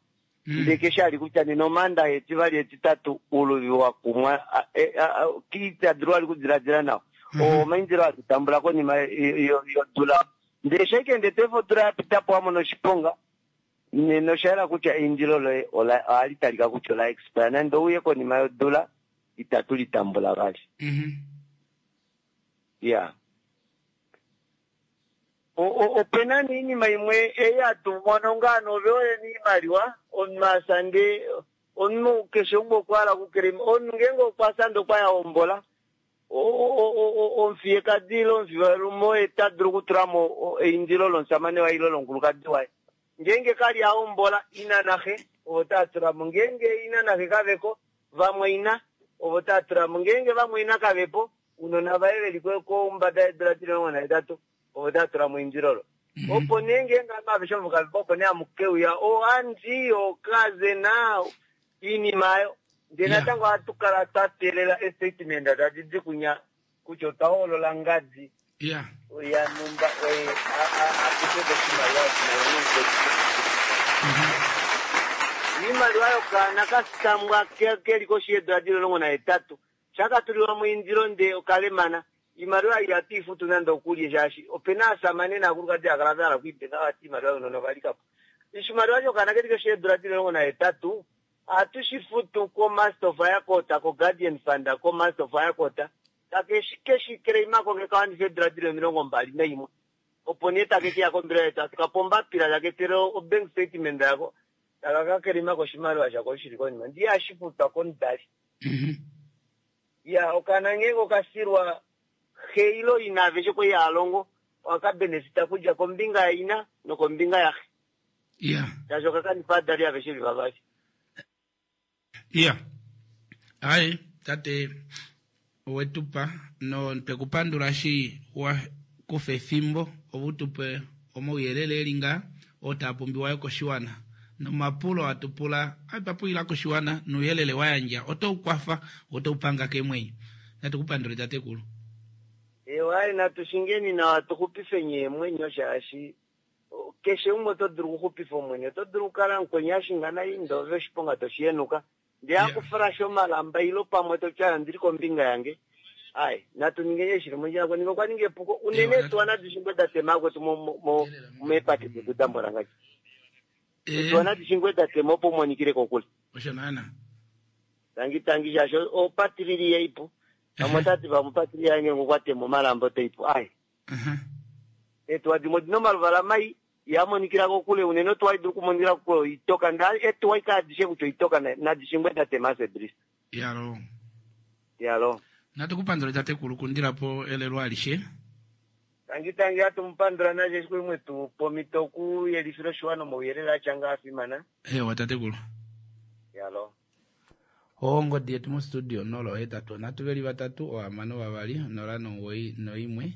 Ndee keshe ali kutya nena Omaandaxa, Etivali, Etitatu, ouluvi wa kumwa, ita dulu vali okudiladila nawa. Oo omaindilo hatu tambula konima yodula. Ndee eshi ashike ndee to efa odula ya pita po wa mona oshiponga, nena osha yela kutya eindilo loye ohali talika kutya ola expire. Nande ouye konima yodula, itatu li tambula vali. Iya. Ope na nee oinima imwe ei hatu mono ngaa nove oye na oimaliwa, omunhu a fya ndee omunhu keshe umwe okwa hala okukelema. Omunhu ngeenge okwa fya ndee okwa ya hombola, omufiyekadi ile omufivalume oye ta dulu okutula mo eindilo lomushamane waye ile lomukulukadi waye. Ngeenge ka li a hombola, ina naxe ovo tava tula mo. Ngeenge ina naxe kave ko, vamwaina ovo tava tula mo. Ngeenge vamwaina kave po, ounona vaye ve li kombada yeedula di 18 ovo tava tula mo eindilo olo. Opo nee ngeenge ovanhu aveshe ovo kave po, opo nee hamu ke uya ooaunty, oocousin, oinima oyo. Ndele natango ohatu kala twa teelela estatement tadi di kunya kutya otwa hoolola ngadi yanhumba oye a kufe ko oshimaliwa eshi na nomukwetu. Oimaliwa yokaana ka sitambwa ke li koshi yeedula di li 18 sha ka tulilwa mo eindilo ndee okalemana, oimaliwa ei ihatu i futu nande okulye shaashi ope na aasamane naakulukadi hava kala va hala okwiipenga vati oimaliwa younona ova lika po. Oshimaliwa shokaana ke li koshi yeedula di li 18 ohatu shi futu koMaster of Higher Court, koGuardian Fund, koMaster of Higher Court, take ke shi claima ko ngee ka wanifa eedula di li 21. Opo nee take ke ya kombelewa yetu, hatu ka pa ombapila, taka etele obank statement yako, taka ka claima ko oshimaliwa shako osho shi li konima. Ndee ihashi futwa komudali. Iya, okaana ngeenge oka filwa xe ile ina aveshe kwali hava longo, ohaka benefita okudja kombinga yaina nokombinga yaxe. Iya. Shaashi oka kanifa ovadali aveshe ve li vavali. Iya. Ai, tate owe tu pa notwe ku pandula eshi wa kufa efimbo opo u tu pe omauyelele e li ngaa oo taa pumbiwa yo koshiwana. Nomapulo hatu pula otwa pulila koshiwana nouyelele wa yandja otau kwafa wo otau panga keemwenyo. Natu ku pandule tatekulu. Eewa, ai natu shingeni nawa tu xupifeni eemwenyo shaashi Keshe umwe oto dulu okuxupifa omwenyo. Oto dulu okukala mukweni a shinga nai ndee ove oshiponga to shi henuka. Ndee a kuflasha omalamba ilo pamwe to ti aaye ondili kombinga yange. Aaye, natu ningeni eshi shili mondjila. Konima okwa ninga epuko. Unene eetuwa nadi shingwe da tema akwetu meepate detu da mbwalangadja. Eetuwa nadi shingwe da tema opo umonikile kokule. Osho naana. Tangi tangi shaashi opatilili yaipu. Vamwe otati vamwe opatilili yange ngokwa tema omalamba otaipu. Aaye. Eetuwa dimwe odina omaluvala mai, ihaa monikila kokule unene otuwa hai dulu okumonikila kokule oitoka ndele eetuwa aike adishe kutya oitoka nadi shingwe da tema Sebrisa. Iyaloo. Iyaloo. Natu ku pandule tatekulu kundila po elelo alishe. Tangi tangi hatu mu pandula nasho eshi kwali mwetu pa omhito oku yelifila oshiwana omauyelele atya ngaha afimana. Eewa tatekulu. Iyaloo. Ongodi yetu mostudio 083 veli vatatu ohamano vavali 091.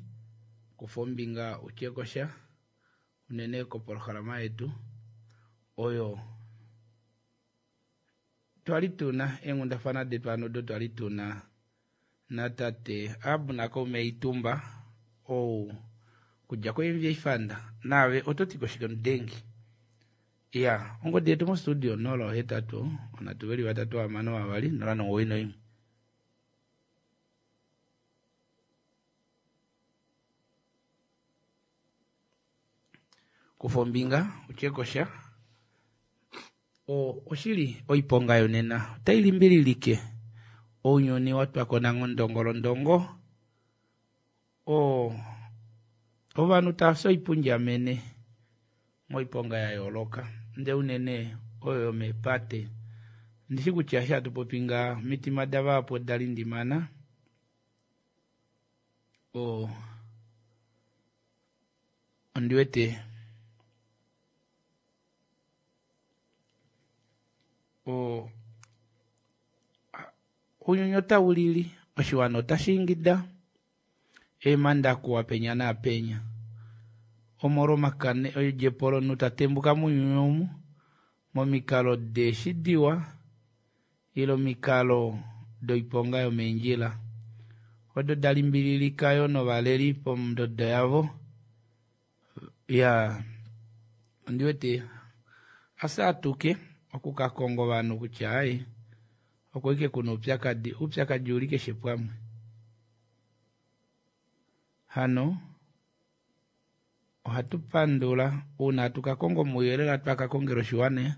Kufa ombinga utye ko sha unene kopolohalama yetu oyo twali tuna eenghundafana detu hano odo twali tuna natate Abner Kaume Itumba ou kudja koMVA Fund. Naave oto ti ko shike mudengi? Iya, ongodi yetu mostudio 0 8 3 3 6 2 0 9 1. Kufa ombinga utye ko sha. O, oshili oiponga yonena otai limbililike ounyuni wa twa ko nanghondongolondongo. O, ovanhu tava fi oipundjamene moiponga ya yooloka, ndee unene oyo yomeepate. Ondi shi kutya eshi hatu popi ngaha, omitima davahapu oda lindimana. O, ondi wete o, ounyuni otau lili, oshiwana otashi ingida. Eemhanda kuwa penya naapenya. Omolwomakane oidjepo lomunhu ta tembuka mounyuni omu, momikalo deeshi diwa ile omikalo doiponga yomeendjila, odo da limbililika yo novaleli pondodo yavo. Ya, ondi wete a saatuke oku ka konga ovanhu kutya ai, oko ike ku na oupyakadi. Oupyakadi ou li keshe pamwe. Hano ohatu pandula uuna hatu ka konga omauyelele hatu ka kongela oshiwana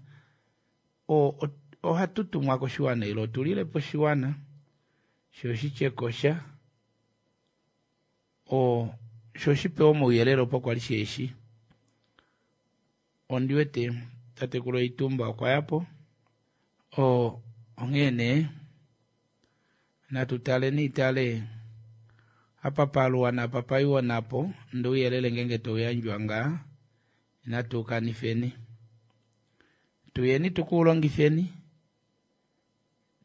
ohatu tumwa koshiwana ile otu lile po oshiwana sho shi tye ko sha sho shi pewe omauyelele opo kwa li sheeshi. Ondi wete tatekulu Itumba okwa ya po. Onghee nee natu taleni tale apa paluwa napa paiwa napo, ndee ouyelele ngeenge tau yandjwa ngaa inatu u kanifeni. Tuyeni tukuulongitheni,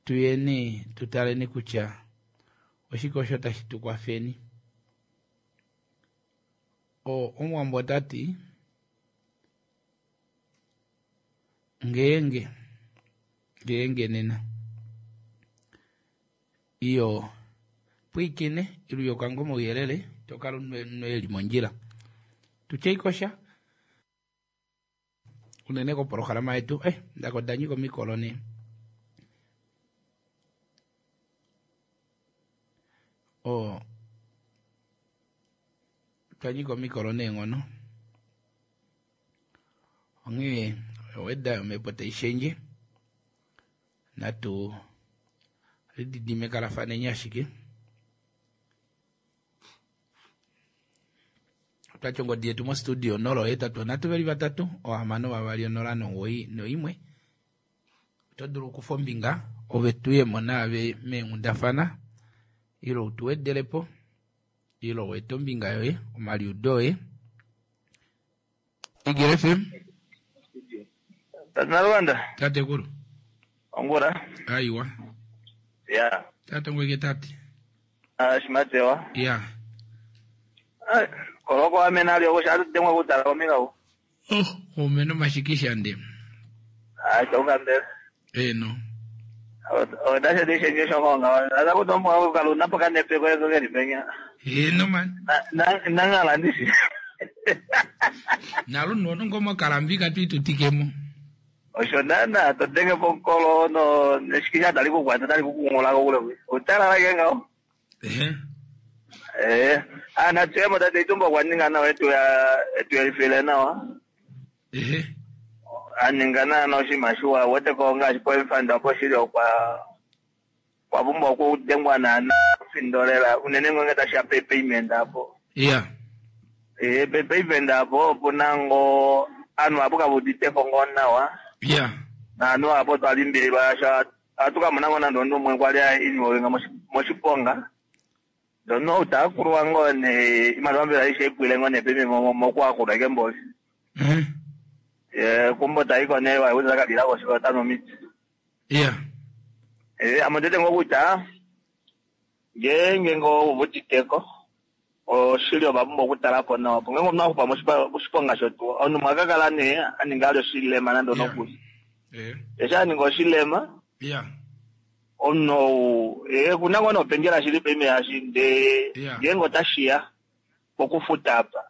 tuyeni tu taleni kutya oshike osho tashi tu kwafeni. Omuwambo ota ti ngeenge ngeenge nena iyo pwiikine iluyoka ngo mauyelele to kala unwe li mondjila. Tutye ikosha unene kopolohalama yetu eh ndako danyika omikolo nee. O twanyika omikolo neenghono onghee oweda yomhepo tai shendje natu lididimekalafaneni ashike otwati ongodi yetu mostudio 083 3 6 2 0 91 oto dulu okukufa ombinga ove tuyemo naave meenghundafana ile utu wedelepo ile weete ombinga yoye omaliudo oye Igele FM Tata Nalwanda. Tatekulu. Ongula. Aiwa. Ya. Tate ngweke tate. Ah, shimatewa. Ya. Ah, koloko amena ali okusha atudemwa kutala omikau. Oh, omena omashikisha nde. Ah, chonga mbele. Eno. Odasha dishe nyesho ngonga. Ata kutomwa kukaluna paka nepe kwa hizo gani penya. Eno man. Na na nangala ndishi. Nalo nono ngoma kalambika tuitutikemo. Osho nana todenge pokolo no neshikisha tali kukwata tali kukungula kokule. Utala lake ngao. Ehe. Eh, ana tsemo tate itumba kwaninga nawa etu ya etu yalifile nawa. Ehe. Aninga na oshinima shiwa wete ko ngaashi poifanda opo shili okwa kwa pumbwa okudengwa naana findolela unene ngenge tashiya payment apo. Ya. Eh, payment apo opuna ngo anu apo kavuditeko ngo nawa. Ya. Naanhu apo twalimbililwa sha atukamona ngo nande omunhu umwe kwali involved moshiponga. Ndono utakulwa ngo ne imaliwa mbela aishe ipwile ngo ne payment mokuakulwa ike mboli. Ehe. Eh, kumbo taiko ne waiweza kalila koshiko tano miti. Ya. Eh, amotete ngo kutya ngeenge ngo uvuditeko oshili ovapumbwa okutalapo nawa po ngenge omunhu akufa moshiponga shotuwa omunhu mwakakala nee aninga ali oshilema nande onokuli. Eh. Eshi aninga oshilema Ya. omunhu ou eh kuna ngoo nopendjela shili paife yashi ndee ngeenge otashiya pokufuta apa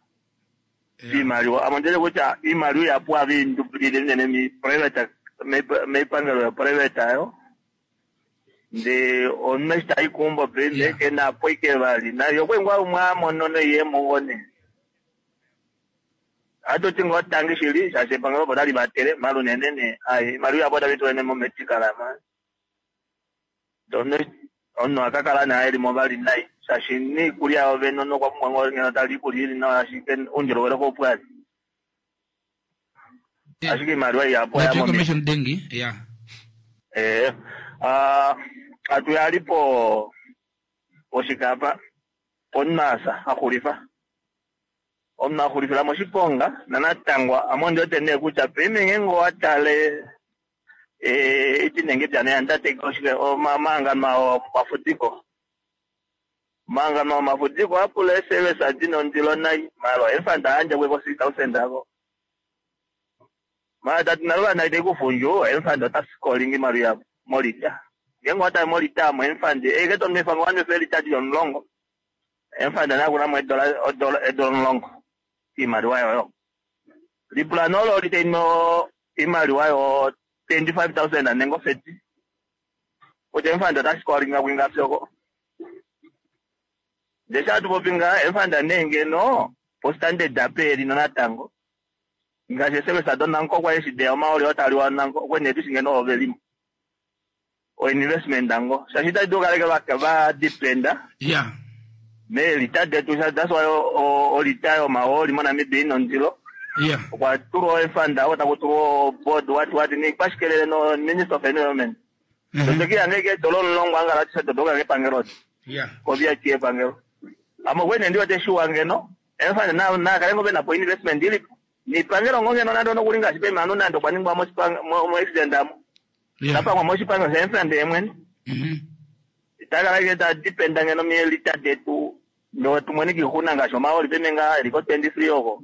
iimaliwa amondele kutya iimaliwa ihapu ohaviindupulile unene mi-private meipangelo yo-private ayo ndee omunhu eshi tayi keumbo paife kena po ike vali naye okwali ngoo umwe amono noiyemo ngoo nee atuti ngoo tangi shili shaashi epangelo opo tali vatele mala unene nee ai iimaliwa ihapu otavi tulwa momedical ma ndono omunhu akakala nee elimo vali nai shaashi niikulya yovene omunhu okwa pumbwa ngoo ngeno tali iikulya ili nawa ashike oundjolowele koupwali ashike iimaliwa ihapu oya Natu momiti. commission dengi. Ya. Eh, ah, atu po poshikapa pomunhu axulifa omunhu axulifila moshiponga nanatangwa ame ondiwete nee kutya paife ngeenge owatale eh, iti nenge pyana yandateke oshike omahangano omafudiko omahangano omafudiko apula eesevesa dina ondilo nai mala efanda ayandja kweko 6000 ako mala tati nalo vana ite kufundju emfanda otasikolinga imaliwa yavo molita ngeenge owatale molita amo emfandi eke tonwefa ngo wanwefa elita lili omulongo emfanda nakunamo edola edola edola omulongo iimaliwa yoyo lipula nololi taino imaliwa yo 25,000 nenge ofeti kutya emfanda otasikolinga kwingapi oko ndee atupopi nga emfanda nee ngeno postandard ape elino natango ngaashi esevesa donanko kwali eshi deya omaoli otaliwa nanko okwene tushi ngeno ovelimo oinvestment ngo shaashi itadi dulu kaleke vadependa Ya. meelita detu that's why olita yomahooli moNamibia ina ondilo Ya. okwa tulwa efanda oko taku tulwa board what what nikwashikelele no minister of environment totokiya ngeke edola omulongo angala tise totoka kepangelo Ya. kovyati epangelo ame okwene ndiwete shiwa ngeno efanda nakale ngo venapo investment ilipo Niipangelo ngo ngeno nande onokuli ngaashi pemanu nande okwa ningwa moaccident amo. Tapangwa moshipangelo shaEmfrand yemwene. Itakala ike ta dependa ngeno mielita detu ndo tumone kiixuna ngaashi omahooli peme nga eli ko 23 oko.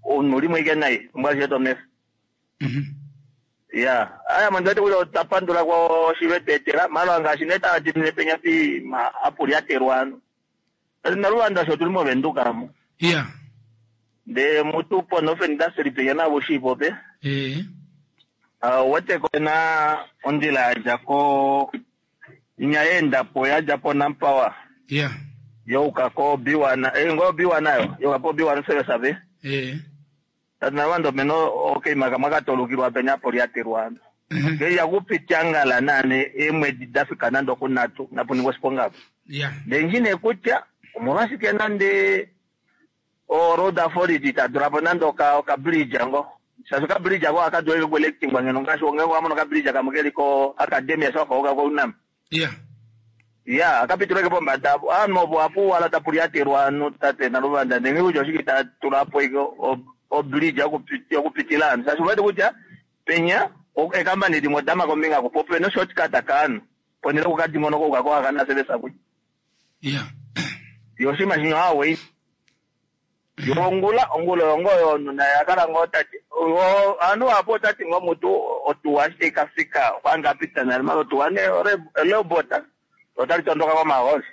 Omunhu limwe ike nai omwaashi tomefa. Ya, aya mo ndiwete kutya otwa pandula koshilwe tweetela mala ngaashi nee tava dimine penya pi ma apu lyatelwa ano. Naluvanda sho otuli moVenduka mo. Ndee mutu po Northern Industry penya navo shiipope. Ouwete ko na ondjila ya dja ko inya yeenda po ya dja po Nampower. Youka ko B1, ngo B1 nayo, youka po B1 service ave. Tati naluvanda opena okaima kamwe katolukilwa penya apo lyatelwa ano. Ngeya kupitya naane eemwedi da fika nande okunhatu napuningwa oshiponga apo. Ndee nghi nee kutya omolwashike nande o road authority ita tula po nande oka bridge ngo. Shaashi oka bridge ako ohaka dulu okuelectingwa ngeno ngaashi ngeenge owa mono oka bridge kamwe keli ko academia sho wafa ko Unam. Ya, akapituleke pombada apo. Aanhu opo apu wala tapu lyatelwa ovanhu tate Naluvanda ndee nghi kutya oshike ita tula po ike o bridge yokupitila ovanhu. Shaashi ouwete kutya penya eekambani dimwe odama kombinga oko po opena oshortcut kaanhu ponhele yokukadingonoka ouka ko Hakana service akunya. Yo oshinima shinya oha Yo ongula, ongula oyo ngoo yomunhu naye akala ngoo tati ovanhu vahapu otati ngoo mutu otuwa eshi tai kafika okwa hanga apita nale mala otuwa nee elobot otali tondoka komahooli.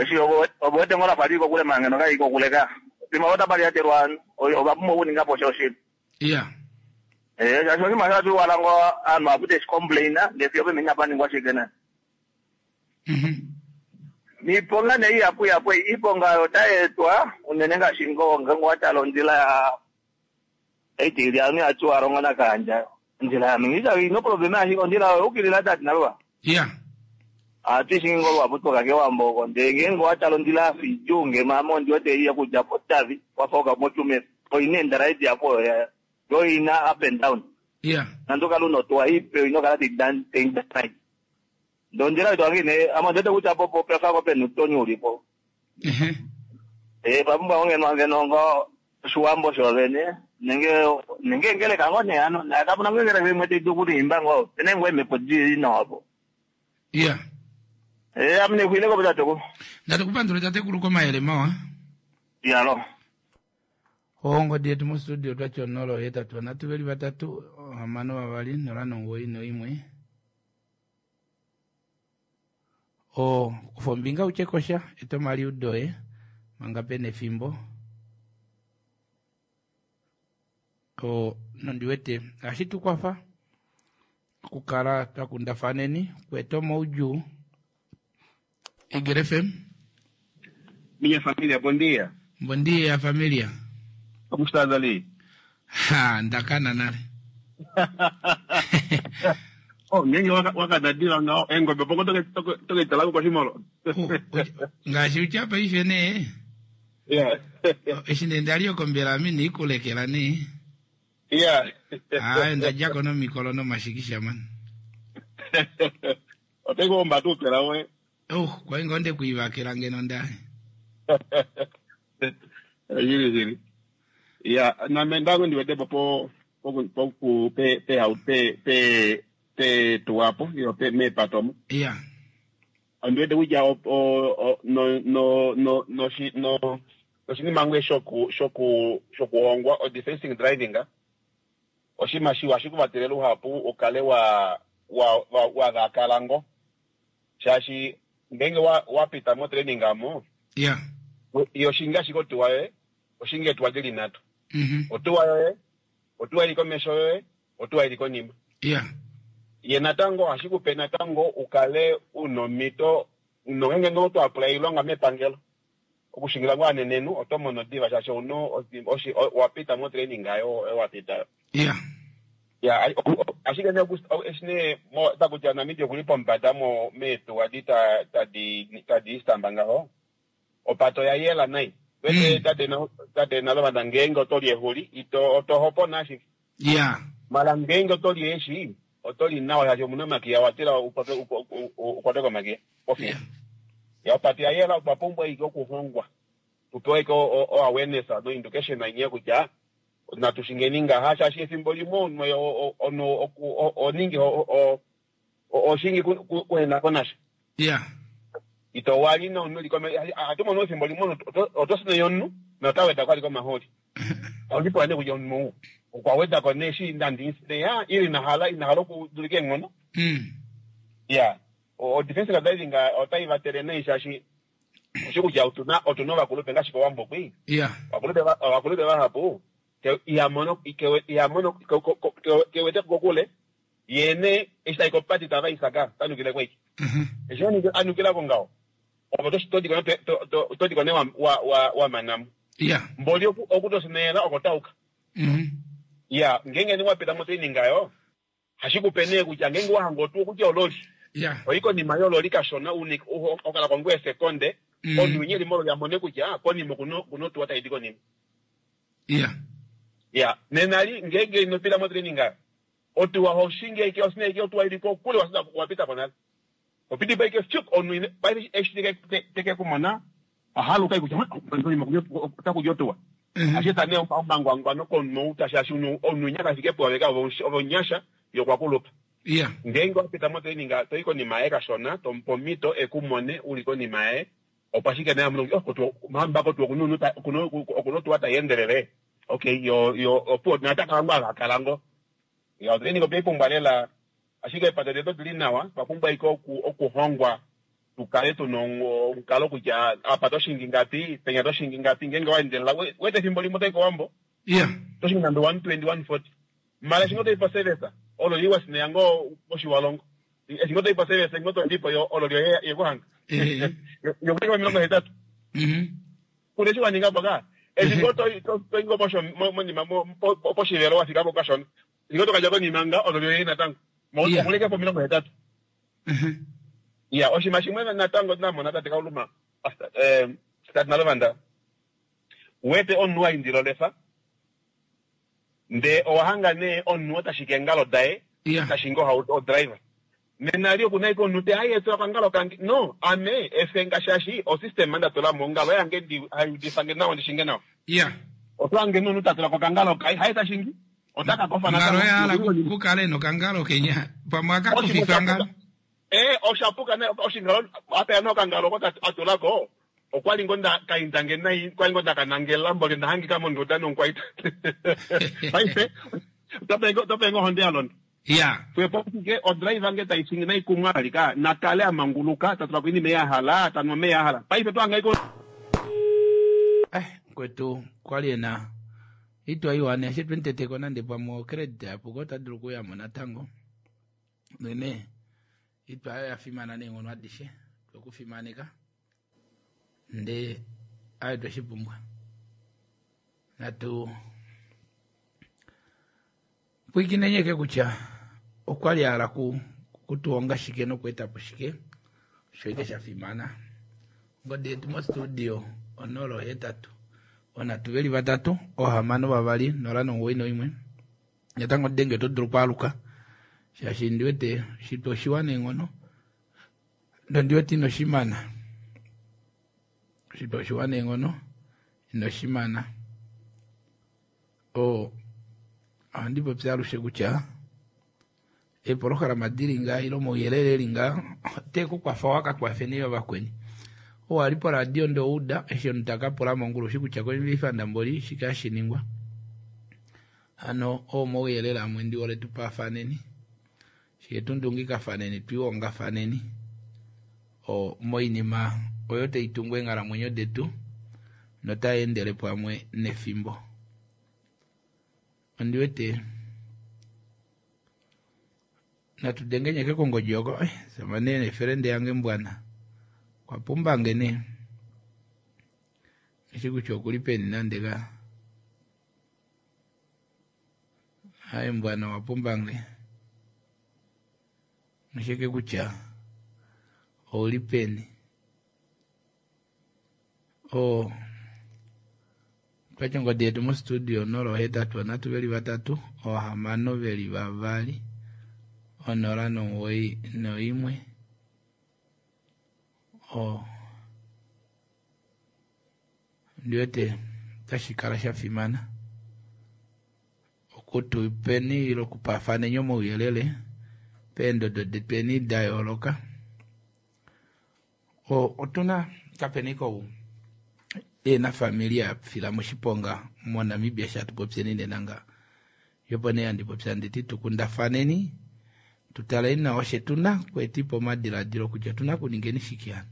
Eshi ovo wete ngoo lafa lili kokule manga ngeno kaili kokule ka. Pimwe otapa lyatelwa ovanhu ova pumbwa okuninga po sha oshili. Shaashi oshinima osho hatu wala ngoo ovanhu vahapu teshi complain ndee fiyo opemene inapa ningwa shike nande. Niiponga nee ihapu ihapu ei, iiponga oyo otai etwa unene ngaashi ngoo ngeenge owa tala ondjila ya eitili anu ya Tjiwarongo naKahandja ondjila ya mingi ino problema ashike ondjila oyo ukilila tati nalwa. Ohatu i shingi ngoo luhapu twoka kEwambo oko ndele ngeenge owa tala ondjila ya fa idjuu ngeno ame ondi wete ei yokudja pOtavi wafa uka moTsumeb oina eendalaye dihapu oyo ya yo oina up and down. Nande ukale una otuwa ipe oina okukala tai dana. Ndee ondjila oyo twange nee ame ondiwete kutya po pefa ngo pena uutoni ulipo. Ee, pa pumbwa ngo ngeno ngeno ngo oshiwambo shoovene nenge nenge engeleka ngo nee hano naye kapuna ngo engeleka imwe tai dulu okuliimba ngo opena ngoo eemhepo dili nawa po. Ee, ame nexuileko po tatekulu. Ndatukupandula tatekulu komayele mawa. Yalo. Ongodi yetu mostudio twati 0 8 3 2 6 2 0 9 1. O, kufa ombinga u tye kosha, eta omaliudo oye manga pe na efimbo. O, nondi wete ohashi tu kwafa okukala twa kundafaneni, okueta omaudjuu. Eagle FM. Minha família, bom dia. Bom dia, família. Como estás ali? Ha, ndakana nale. Oh, ngenge wakadadila ngaho engobe poko toke talako koshimolo. Ngaashi utya paife nee. Yeah. Eshi nee ndali okombela ame niikulekela nee. Yeah. Aaye ndadjako nomikolo nomashikisha man. Ote kuomba tuu pela we. Oh, kwai ngoo nde kuivakela ngeno nda. Shili shili. Ya, name ndango ndiwete po po po po pe pe pe pe pe tuwapo yo pe meepato omo. Ya. Ondiwete kutya o o no no no no no oshinima ngwe shoku shoku shokuhongwa o defensing driving oshinima shiwa ohashi ku vatele luhapu u kale wa wa wa wa vakala ngo shaashi ngeenge wa wa pita mo training amo yo oshingi ashike otuwa yoye oshingi eetuwa dili nhatu otuwa yoye otuwa ili komesho yoye otuwa ili konima ye natango ohashi kupe natango ukale una omhito nongeenge ngoo to apply oilonga mepangelo okushingila ngoo anenenhu oto mono diva shaashi ouna owa pita mo training ayo oyo wa pita. Ya, ashike nee eshi nee takutya Namibia okuli pombada mo meetuwa di tadi tadi istamba ngaho opata oya yela nai wete tate tate Naluvanda ngeenge oto li ehuli ito oto hopona ashike mala ngeenge oto li eeshi oto li nawa shaashi omuna omakiya wa tila ukwatwe komakiya pofiya. Ya opata ya yela otwa pumbwa ashike okuhongwa. Tupewe ike o awareness no education nye kutya natu shingeni ngaha shaashi efimbo limwe omunhu omunhu oningi oshingi kuhena ko nasha. Yeah. Ito wali nomunhu li kome ohatu mono efimbo limwe oto sineya omunhu nota weda ko ali komahooli. Ondi pula nee kutya omunhu ou okwa weda ko nee eshi nandi sineya ile ina hala ina hala okudulika eenghono. Ya. O defensive driving otai vatele nai shaashi oshi kutya otuna otuna ovakulupe ngaashi kOwambo kwi. Yeah. Ovakulupe ovakulupe vahapu iha mono iha mono ke wete kokule ye nee eshi tai kopati tava isaka ta nukile kweki. Eshi a nukila ko ngaho opo to diko nee wa mana mo. Yeah. Mboli oku to sineyela oko tauka. Ya, ngeenge nee wa pita motraining ayo hashi kupe nee kutya ngeenge wa hanga otuwa okutya ololi. Yeah. Oyi konima yololi kashona une okala ko ngoo esekonde omunhu winya eli mololi a mone kutya konima okuna otuwa tai di konima. Yeah. Ya, nena li ngeenge ino pita motraining ayo otuwa ho shingi ashike osina ashike otuwa ili kokule wa pita po nale. Opiti po ashike fyuk omunhu paife eshi teke ku mona ohaluka ashike kutya konima otaku di otuwa. Ashike ta nee omangwangwano komunhu ou shaashi omunhu winya kafike puove ka ove omunyasha ye okwa kulupa. Yeah. Ngeenge wa pita motraining to i konima yaye kashona tomupe omhito e ku mone u li konima yaye opo ashike naye amone kutya oh mbako otuwa okuna otuwa tai endelele. Okay yo yo opuwo naye ota kala ngoo a kala ngoo. Ya otraining otwei pumbwa lela ashike eepate detu odili nawa otwa pumbwa ashike okuhongwa tu kale tuna omukalo kutya apa to shingi ngapi penya to shingi ngapi ngeenge wa endelela wete efimbo limwe otoyi kOwambo Yeah. to shingi nande 120 140 mala eshi ngoo toyi poservice olo li wasineya ngoo mOshiwalongo eshi ngoo toyi poservice ngoo todipo yo olo lyo yekuhanga yokuhanga 80 Kuna eshi wa ninga po ka eshi ngoo to i ngoo monima poshivelo wa fika po kashona eshi ngoo to ka dja konima nga olo lyoye natango okuleke po 80. Ya oshinima shimwe natango namona tate Kauluma tate Nalovanda wete omunhu wa indila olefa ndee owa hanga nee omunhu oo ta shiki eengalo daye ta shingi ohauto odriver nena li oku na ashike omunhu te hayi etula okangalo kange no ame efenga shaashi osystem nda tula mo ongalo yange ndi hai udifa nge nawa ndi shinge nawa oto hange nee omunhu ta tula ko okangalo kaye haye ta shingi ota ka kofa natango. Ongalo ya hala kukale nokangalo kenya pamwe aka kofifa ngalo. Eh osha puka nee oshingalo apeya nee okangalo oko a tula ko okwali ngo nda kainda nge nai kwali ngo nda ka nangela mboli nda hangika monduda nomukwaita paife otape ngo ohonde ya londa. Ya. Xwepo ashike odriver nge tai shingi nai kumwe vali ka na kale a manguluka ta tula ko oinima ei a hala ta nu omeya a hala paife oto hanga ashike Eh, mukwetu kwali ena itwa iwa ne ashike tweniteteko nande pamwe ocredit yapuka ota dulu okuyamo natango nene itwa ayo ya fimana neenghono adishe twekufimaneka ndee ayo tweshi pumbwa natu pwikinenye ke kutya okwa li a hala kutuhonga shike nokweeta po shike osho ike sha fimana. Ongodi yetu mostudio 0 8 3 6 2 0 9 1. Natango denge oto dulu okwaaluka shaashi ndi wete shitwa oshiwa neenghono nondi wete ino shimana. Shitwa oshiwa neenghono ino shimana. O ohandi popi alushe kutya eepolohalama dili ngaa ile omauyelele eli ngaa ote ku kwafa waka kwafeni yo vakweni. Ou ali poradio nde ouda eshi omunhu taka pula mongulu oshi kutya koivifanda mboli shike hashi ningwa. Hano oo omauyelele amwe ndi hole tu paafaneni fiye tu ndungikafaneni twiihongafaneni o moinima oyo tai tungu eenghalamwenyo detu notai endele pamwe nefimbo. Ondi wete natu dengenyeke kongodi oko eh, sama nee nefelende yange mbwana kwa pumbange nee eshi kutya okuli peni nande ka haye mbwana wa pumbange oshike kutya ouli peni o twatya ongodi yetu mostudio 0 8 3 2 6 0 9 1 o Ondiwete otashi kala sha fimana okutupeni ile okupafaneni omauyelele peendodo detweni da yooloka. Otuna kapeni kou ena familia ya fila moshiponga moNamibia sha tupopyeni nena nga. Yopo nee handi popya nditi tukundafaneni tutaleni nawa oshe tuna kweetipo omadiladilo kutya otuna kuningeni shike hano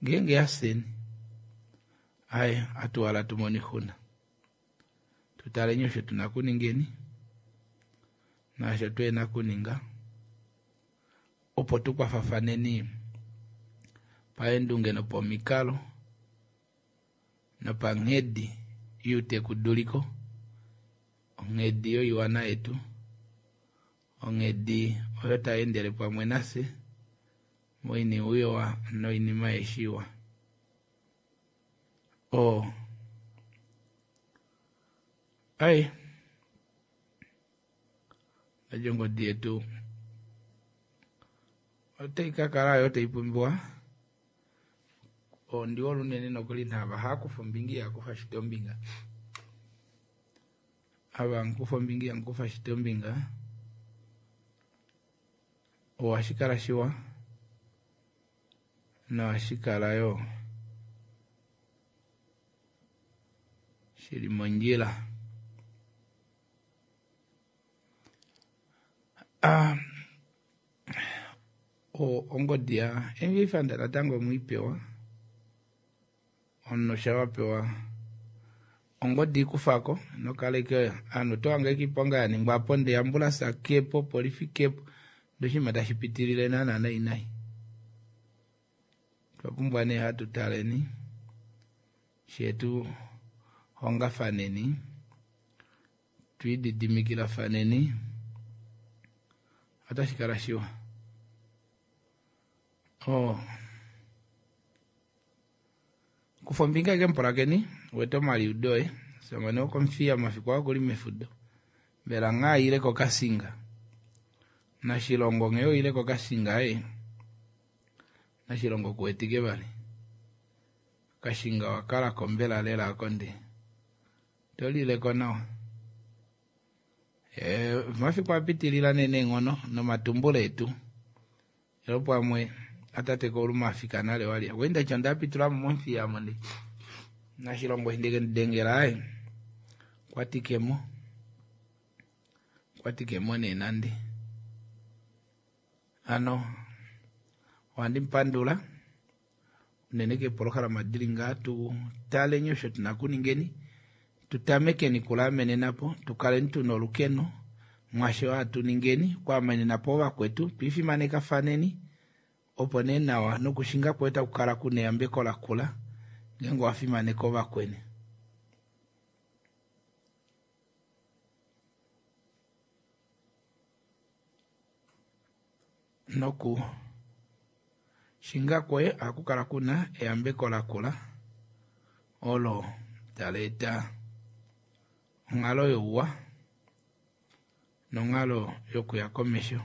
ngeenge yafyeni aye atuwala tumone oixuna. Tutaleni osho tuna kuningeni naasho tuhena kuninga opo tukwafafaneni paendunge nopomikalo nopanghedi youteku-duliko, onghedi yoiwana yetu, onghedi oyo tai endele pamwe nafye moinima iwa noinima aishe iwa. Oo ai ndati ongodi yetu otai ka kala yo tai pumbiwa. Ondi hole unene nokuli naava haakufa ombinga ihakufa shito ombinga. Ava hamukufa ombinga ihamukufa shito ombinga, ohashi kala shiwa nohashi kala yo shili mondjila. Ah, ongodi ya MV Fund natango omwiipewa omunhu sha wapewa ongodi ikufako nokaleke ovanhu oto hange iponga ya ningwa po ndee ambulance kepo polifi kepo ndee oshinima tashi pitilile naana nai nai. Otwa pumbwa nee hatu taleni shetu hongafaneni twiididimikilafaneni otashi kala shiwa. Oh. Kufa ombinga eke mupulakeni wete omaliudo oye samane wokomufiya mafiku aa okuli mefudo mbela nghaa ile kokasinga nashilongo nghee oile kokasinga e nashilongo kuwetike vali kashinga wakalako mbela lela ako nde tolileko nawa. Mafiku apitilila nee neenghono nomatumbulo etu elo pamwe atate kouluma afika nale wali okwa ndaitya ondapitulamo momufiya mo ndi nashilongo eshi ndekemudengela aye okwatikemo okwatikemo nee nande hano ohandi mupandula unene keepolohalama dili ngaa tu taleni osho tuna kuningeni tutamekeni kulaamenenapo tukaleni tuna olukeno mwasho hatu ningeni okwaamenenapo ovakwetu twiifimanekafaneni opo nee nawa nokushinga kwoye taku kala kuna eyambeko lakula ngeenge owafimaneka ovakweni. Noku shinga kwoye ohaku kala kuna eyambeko lakula olo tali eta onghalo youwa nonghalo yokuya komesho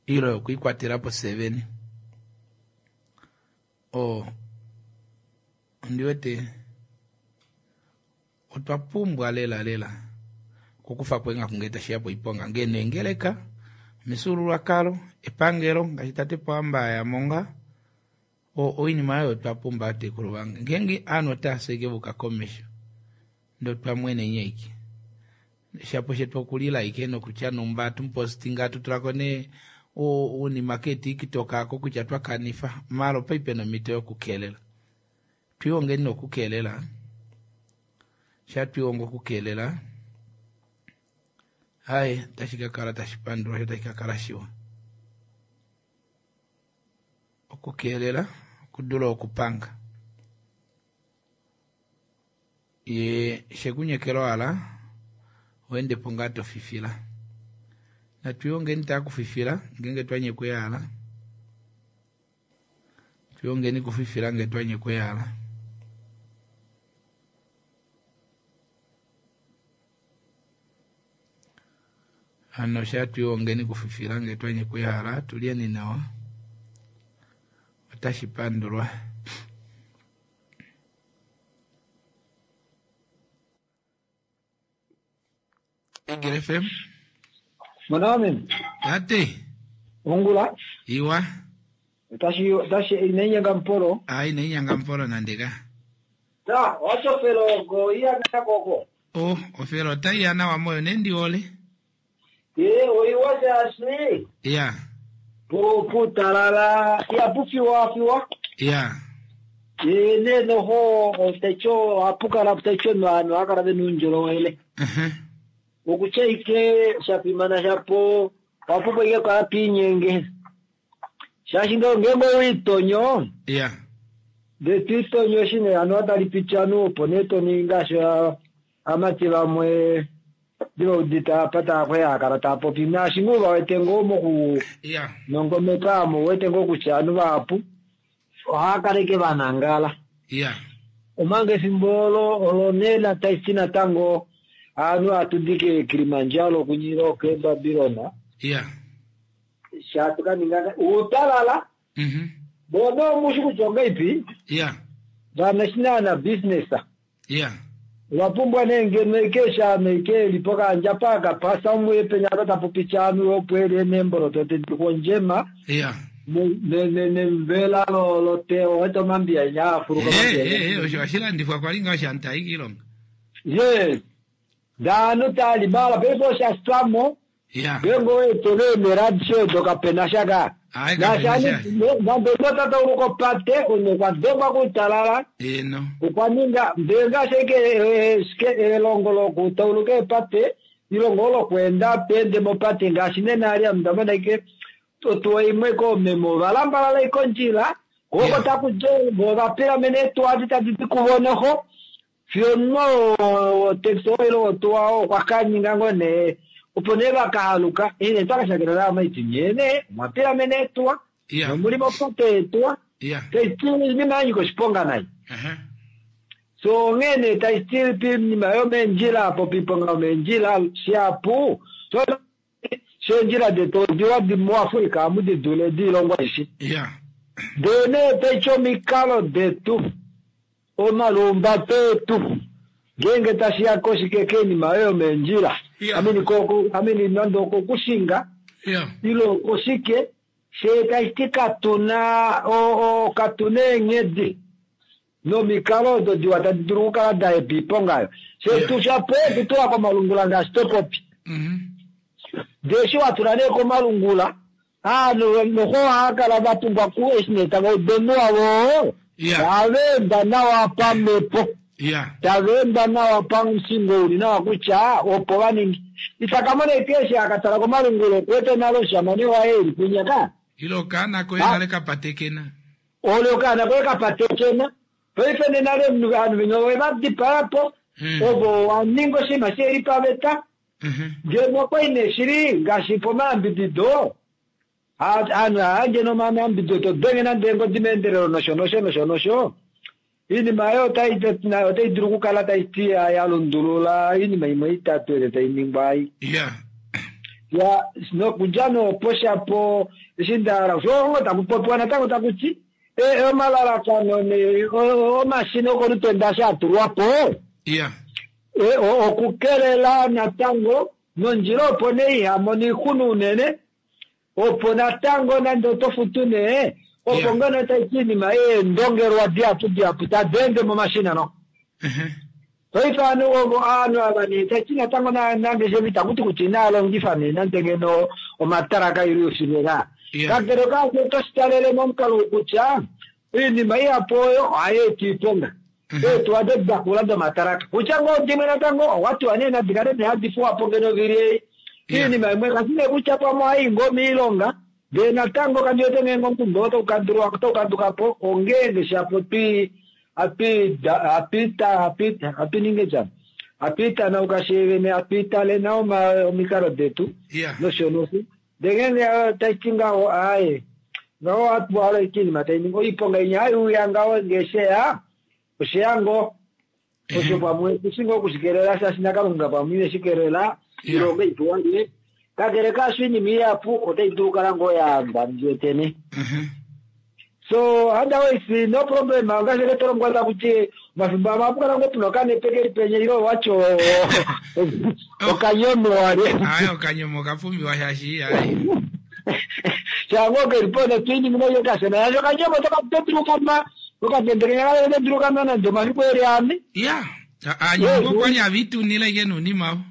ile yokwiikwatela po seveni. Oo ondi wete otwa pumbwa lela lela okukufa po eenghaku ngee tashiya poiponga ngee neengeleka omifyuululwakalo epangelo ngaashi tate Pohamba aya monga oinima oyo twa pumbwa vatekulu vange ngeenge ovanhu otava ashike vuka komesho ndee otwa mweneni ashike shapo shetu okulila ashike nokutya numba atupostinga atutulako nee ounima keetiktok ako kutya twakanifa maala opa pena omhito yokukelela twiihongeni nokukelela sha twiihonga okukelela haye otashi kakala tashi pandulwa sho otashi kakala shiwa okukelela okudula okupanga ye shekunyekela owala oendepo ngaa tofifila natwiihongeni taa kufifila ngeenge twanyekwa ehala twiihongeni kufifila ngee twanyekwa ehala. Hano sha twiihongeni kufifila ngee twanyekwa ehala tulyeni nawa otashi pandulwa. Eagle FM. Mwana Tate. Ongula. Iwa. Otashi otashi inainyanga mpolo. Ah, inainyanga mpolo nande ka. Ta, watofelo go iya koko. Oh, ofelo otai ya nawa moyo nendi ole. Ye, oiwa shaashi. Ya. Pu putalala ya pufiwa fiwa. Ya. Ye ne noho otecho apukala techo no akala benunjolowele. Okutya ike shafimana shapo wapupo ike kala piinyenge. Shaashi ngenge owiitonyo. Ya. Ndee twiitonyo shine hano otali piti anu opo nee toningi ngaashi amati vamwe ndivaudita apa taakwea kala taapopi naashi ngoo vawete ngoo moku Ya. nongomeka amo wete ngoo kutya anu vahapu ohakaleke vanangala. Ya. Omanga efimbo olo olo nee nataisi natango anu atudike Kilimanjaro kunyira ke Babilona. Ya. Shatukaninga utalala. Bona omushi kutya ongaipi? Ya. Vanashinana business. Ya. Vapumbwa nee ngeno ike shano ike lipo kandja paka pasa umwe penya tapopi anu opwele nemboloto tedikondjema Ya. nemvela lote owete omambiya nyaafuluka Eh, eh, osho oshilandifwa kwali nga oshantai kiilonga. Yes. Danu tali mala pepo shastwamo. Ya. Ngengo wetole meradsho dokapena shaka. Ai, kapena Nashani nambekota tauluko pate ono kwadhengwa kutalala. Eno. Okwaninga mbenga sheke shike elongo lokutauluka epate ilongo lokwenda pende mopate ngaashi nena ali amudamona ike otuwa imwe koomeme valambalala ikondjila koko takudje vovapilamene etuwa tadi dikuvonoho fiyo no taxi oilo otuwa okwakaninga ngo nee opo nee vakahaluka ine twakashakela amaiti nyene mwapilamene etuwa Ya. nomuli mopate etuwa Ya. taiti inima yanyika oshiponga nayi so onghene taiti pinima yomendjila apo piponga yomendjila shapu so shendjila detu odiwa muafrika amu didule diilongo aishe Ya. ndee nee taiti omikalo detu omalumbato etu ngenge tashiya koshike keinima oyo yomendjila amini koko amini nande okokushinga Ya. ile okoshike shee taiti katuna o katuna eenghedi nomikalo odo diwa tadi dulu okukala da epa iponga ayo shetu shapo okutula komalungula ngaashi topopi ndee eshi watula nee komalungula aanhu noho ohaakala vapumbwa ku eshi nee tava udu wavo taveenda nawa pamhepo Ya. taveenda nawa pamusingo uli nawa kutya opo vaningi itakamona ike eshi akatala komalungula okuwete nalo oshamane waye eli kunyaka Ilo kana koye nale kapatekena. ole okaana koye kapatekena paife nenale omunhu ovanhu venya ovevadipayapo ovo waninga oshinima sheli paveta ngeno okwai nee shili ngaashi pomayambidido aanhu hayandje nomayambidido todenge nande eengodi meendelelo nosho nosho nosho nosho iinima ayo otai otai dulu okukala taiti ya lundulula iinima imwe itatu ele tainingwa ai Ya. ya nokudja noopo shapo eshi ndahala oshoongo takupopiwa natango takuti omalalakano ne omashina okolutenda shatulwapo Ya. okukelela natango nondjila opo nee ihamona iixuna unene opo natango nande oto futu nee opo ngeno taiti iinima yeendongelwa dihapu dihapu tadi ende momashina no paife anu ovo aanhu ava nee taiti natango nangeshefa itakuti kutya inaalongifa nee nande ngeno omatalaka ili oshivela kakele kaasho otoshitalele momukalo kutya iinima ihapu oyo ohayi eta iiponga eetuwa dedakula domatalaka kutya ngoo dimwe natango owatiwa nee nadi kale nee hadi fuwapo ngeno vili ei iinima imwe kashi nee kutya pamwe ohayi ngoo miilonga ndee natango kandiwete ngeenge omukundu oo taukandukapo ongeenge shapo twi apita apita apininge tyana apiitanauka sheevene apiitale nawa omikalo detu Ya. nosho nosho ndee ngeenge taiti ngaho aaye ngaho atuwala iinima tainingi oiponga inya haiuya ngaho ngeesheya osheya ngoo osho pamwe tushi ngoo okushikelela shaashi nakalunga pamwe ineshikelela ilonga ipuwange kakele kaasho iinima ihapu otai dulu okukala ngoo yaamba ndiwetene. So otherwise no problem ngaashi ke tolongwa takuti omafimbo amwe ohapu kala ngoo puna okanepe keli penya ile owatyo okanyomo wale. Ayi okanyomo okapumbiwa shaashi ayi. Shango keli po notwiiningina yo kashona yasho okanyomo todulu okanwa okatendekenya kale todulu okanwa nande omafiku eli ane. Ya, anyongo okwali avitunile ike nuunima avo.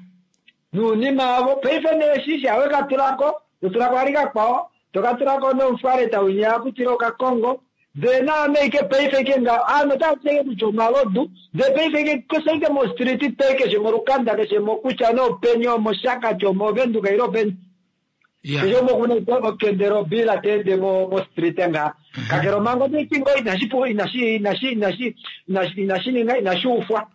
Nuunima avo paife nee shisha wekatulako totulako vali kakwao tokatulako nomufwaleta winya akutile okakongo ndee naame ike paife ike nga aanhu otava ti ike kutya omalodu ndee paife ike keshe ike mostriti toi keshe molukanda keshe mokutya nee openi omoshakati omovenduka ile openi keshe umwe okuna ike okende lobila teende mostriti ngaha kakele omanga otaiti ngoo inashi inashi inashi inashi inashi inashi ninga inashi ufwa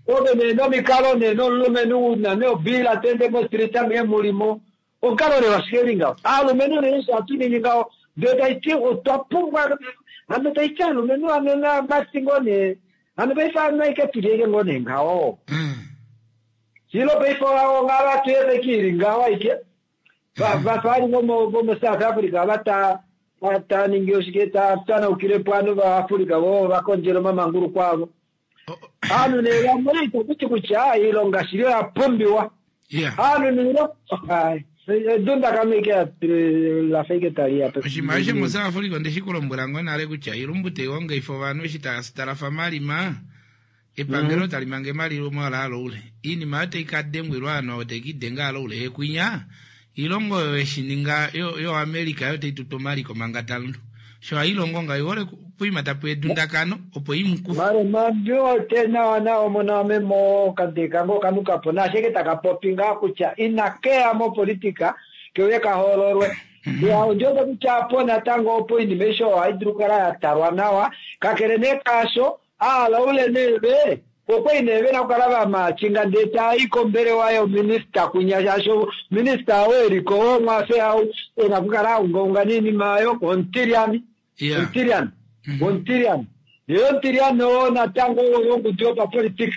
ove nee nomikalo nee nomulumenhu una nee obila teende mostriti amuhe mulimo Onkalo nee osho eli ngaho. Aalumenhu unene osho hatu ningi ngaho. Ndele tashi ti otwa pumbwa hano tashi ti aalumenhu hano naamati ngoo nee hano paife hano aike tuli aike ngoo nee ngaho. Shilo paife onghalo hatu efa aike ili ngaho aike. Vafa ali vomo South Africa ava ta ta ningi oshike ta tanaukile po ovanhu vaAfrica vo va kondjele omamanguluko avo. Aanhu nee vamwe itaku ti kutya iilonga shili oya pumbiwa. Aanhu niilonga edundakano ike la fa ike tali ya. Oshinima osho moSouth Africa onde shi ku lombwela ngoo nale kutya ilumbu tai hongaifa ovanhu eshi tava talafa malima epangelo tali mange malima ola aloule iinima oyo tai ka dengwilwa ovanhu ovo tai ka idenga aloule yekwinya Iilongo oyo yeshi ninga yo yo America yo tayi tutu omaliko manga ta lundu. Sho hayi longo ngawo oyi hole poima tapu edundakano opo yi mu kufe. Mare mandi wete nawa nawa omona wameme oo okadeka ngoo okanukapo naasho eke taka popi ngaa kutya ina keya mopolitika keuye ka hoololwe. Ya ondi wete kutya apo natango opo oinima aishe oyo ohai dulu okukala ya talwa nawa kakele nee kaasho Aalaule nee ve okwali nee vena okukala va maachinga ndee taa i kombelewa yominista kwinya shaashi minista ou eliko womwafe au ena okukala a ungaunga noinima oyo omutilyani omutilyani omutilyani yee omutilyani oo natango wongudu yopapolitika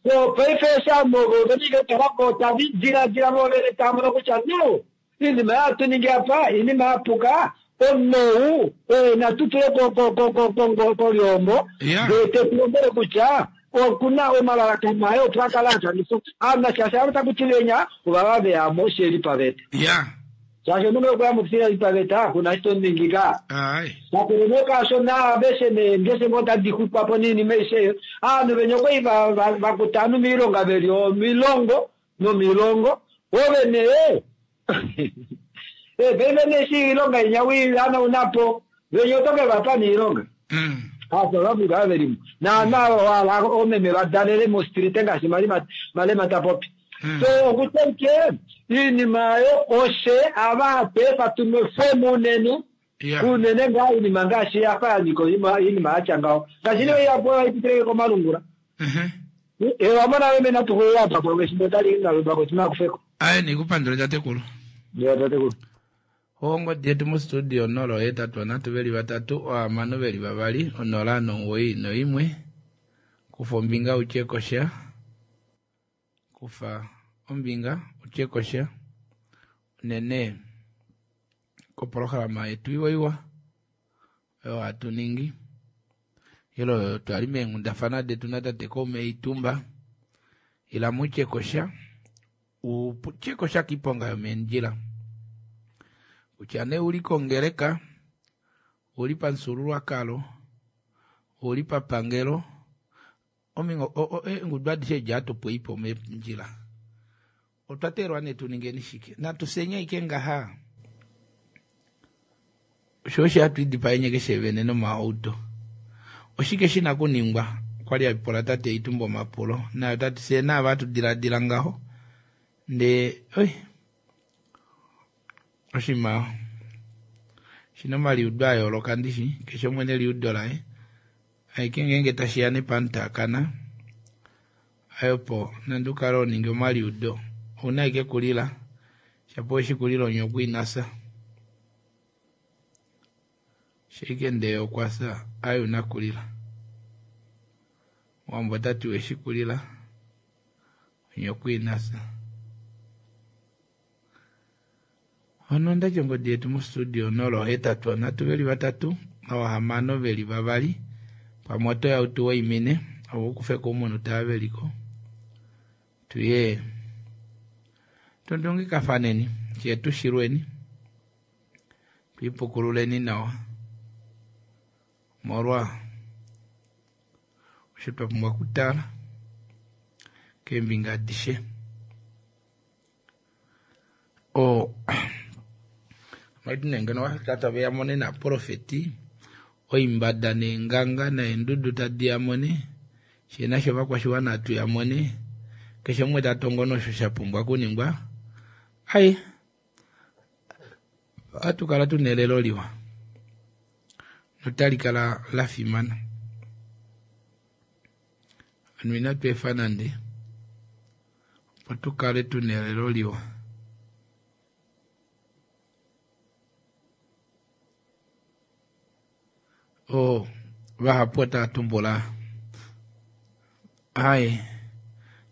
so paife eshi ovanhu ovo vena ike talako tava diladila vo vene tava mono kutya no Iinima hatu ningi apa iinima ya puka, omunhu ou oye natu tule kolyoombo ndee te tu lombwele kutya oku na omalalakano aye opo a kale a shangifwa. Ame shaashi ava taku ti venya ovava ve ya mo shi li paveta. Shaashi omunhu ngee okwe ya mo shi li paveta ku na eshi to mu ningi ka. Kakele nee kaasho naaveshe nee ngeshe ngoo tadi xwikwa po noinima aishe eyo, ovanhu venya okwali va kuta ovanhu moilonga ve li omilongo nomilongo ove nee eh, paife nee eshi iilonga inya wiihanauna po venya oto ke va pa nee iilonga aaSouth Africa ava ve li mo naana wala omeme va dalele mostrite ngaashi Malima Malema ta popi so okutya ike iinima oyo oshe ava hatu efa tu nwefwemo unene unene ngaa iinima ngaashi ya fa ya nyika iinima ya tya ngaho ngaashi nee ihapu oyo hai pitile komalungula Eh, wa mona meme natu xulile apa pamwe efimbo otali ngaludwa ko tina kufeko. Aye nikupandule tatekulu. Ya tatekulu. Ongodi yetu mostudio 083 veli vatatu ohamano veli vavali onola nomuwoi noimwe. Kufa ombinga utye kosha. Kufa ombinga utye kosha. Unene kopolohalama yetu iwa iwa. Oyo hatu ningi. Ilo oyo twa li meenghundafana detu natate Koume Itumba. Ila mutye kosha. U tye kosha kiiponga yomeendjila. Kutya nee uli kongeleka, uli pamufyuululwakalo, uli papangelo, omingo, eengudu adishe edi hatu pwei po meendjila. Otwa teelwa nee tu ningeni shike? Natu fyeni aike ngaha? Osho osho hatu idipaenye keshe vene nomaauto. Oshike shi na kuningwa? Okwa li a pula tate Itumba omapulo. Naye ota ti fyee naava hatu diladila ngaho. Ndee, oi, oshinima shi na omaliudo a yooloka ndishi, keshe umwe neliudo laye. Aike ngeenge tashi ya nepamutaakana, ayopo nande u kale ho ningi omaliudo, ou na aike kulila, shapo weshi kulila onyokwa ina fya. Shaike ndee okwa fya, aye una kulila. Omuwambo ota ti weshi kulila, onyokwa ina fya. Ono ndati ongodi yetu mostudio 083 3 6 veli 2 pamwe oto ya utu waimine opo ukufe ko umunhu taa veliko tuye tundungikafaneni fye tushilweni twiipukululeni nawa molwa osho twa pumbwa okutala keembinga adishe. O maiti ngeno wafika tave ya mone naprofeti oimbada neenganga neendudu tadi ya mone shee nasho ovakwashiwana atu ya mone keshe umwe ta tongo nosho sha pumbwa okuningwa ai ohatu kala tuna elelo liwa notali kala la fimana. Ovanhu inatu efa nande opo tu kale tuna elelo liwa. O vahapu otava tumbula ai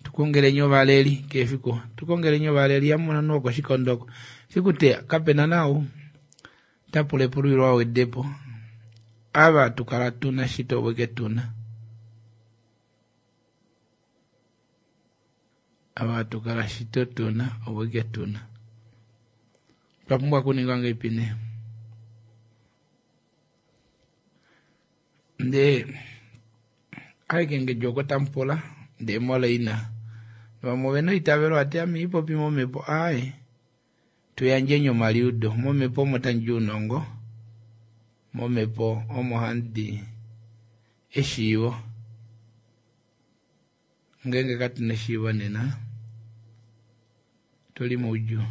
tukongeleni ovaleli kefiku tukongeleni ovaleli yamona nuo koshikondo oko fiku te kapena nau tapula epululilo awedepo ava tukala tuna shito weke tuna ava tukala shito tuna oweke tuna twa pumbwa okuninga ngeipi nee ndee aike oko tamupula ndee moleina vamwe ovena eitavelo ati ame ipopi momhepo aaye tuyandjeni omaliudo momhepo omo tandi ounongo momhepo omo handi eshiivo ngeenge katuna eshiivo nena tuli moudjuu.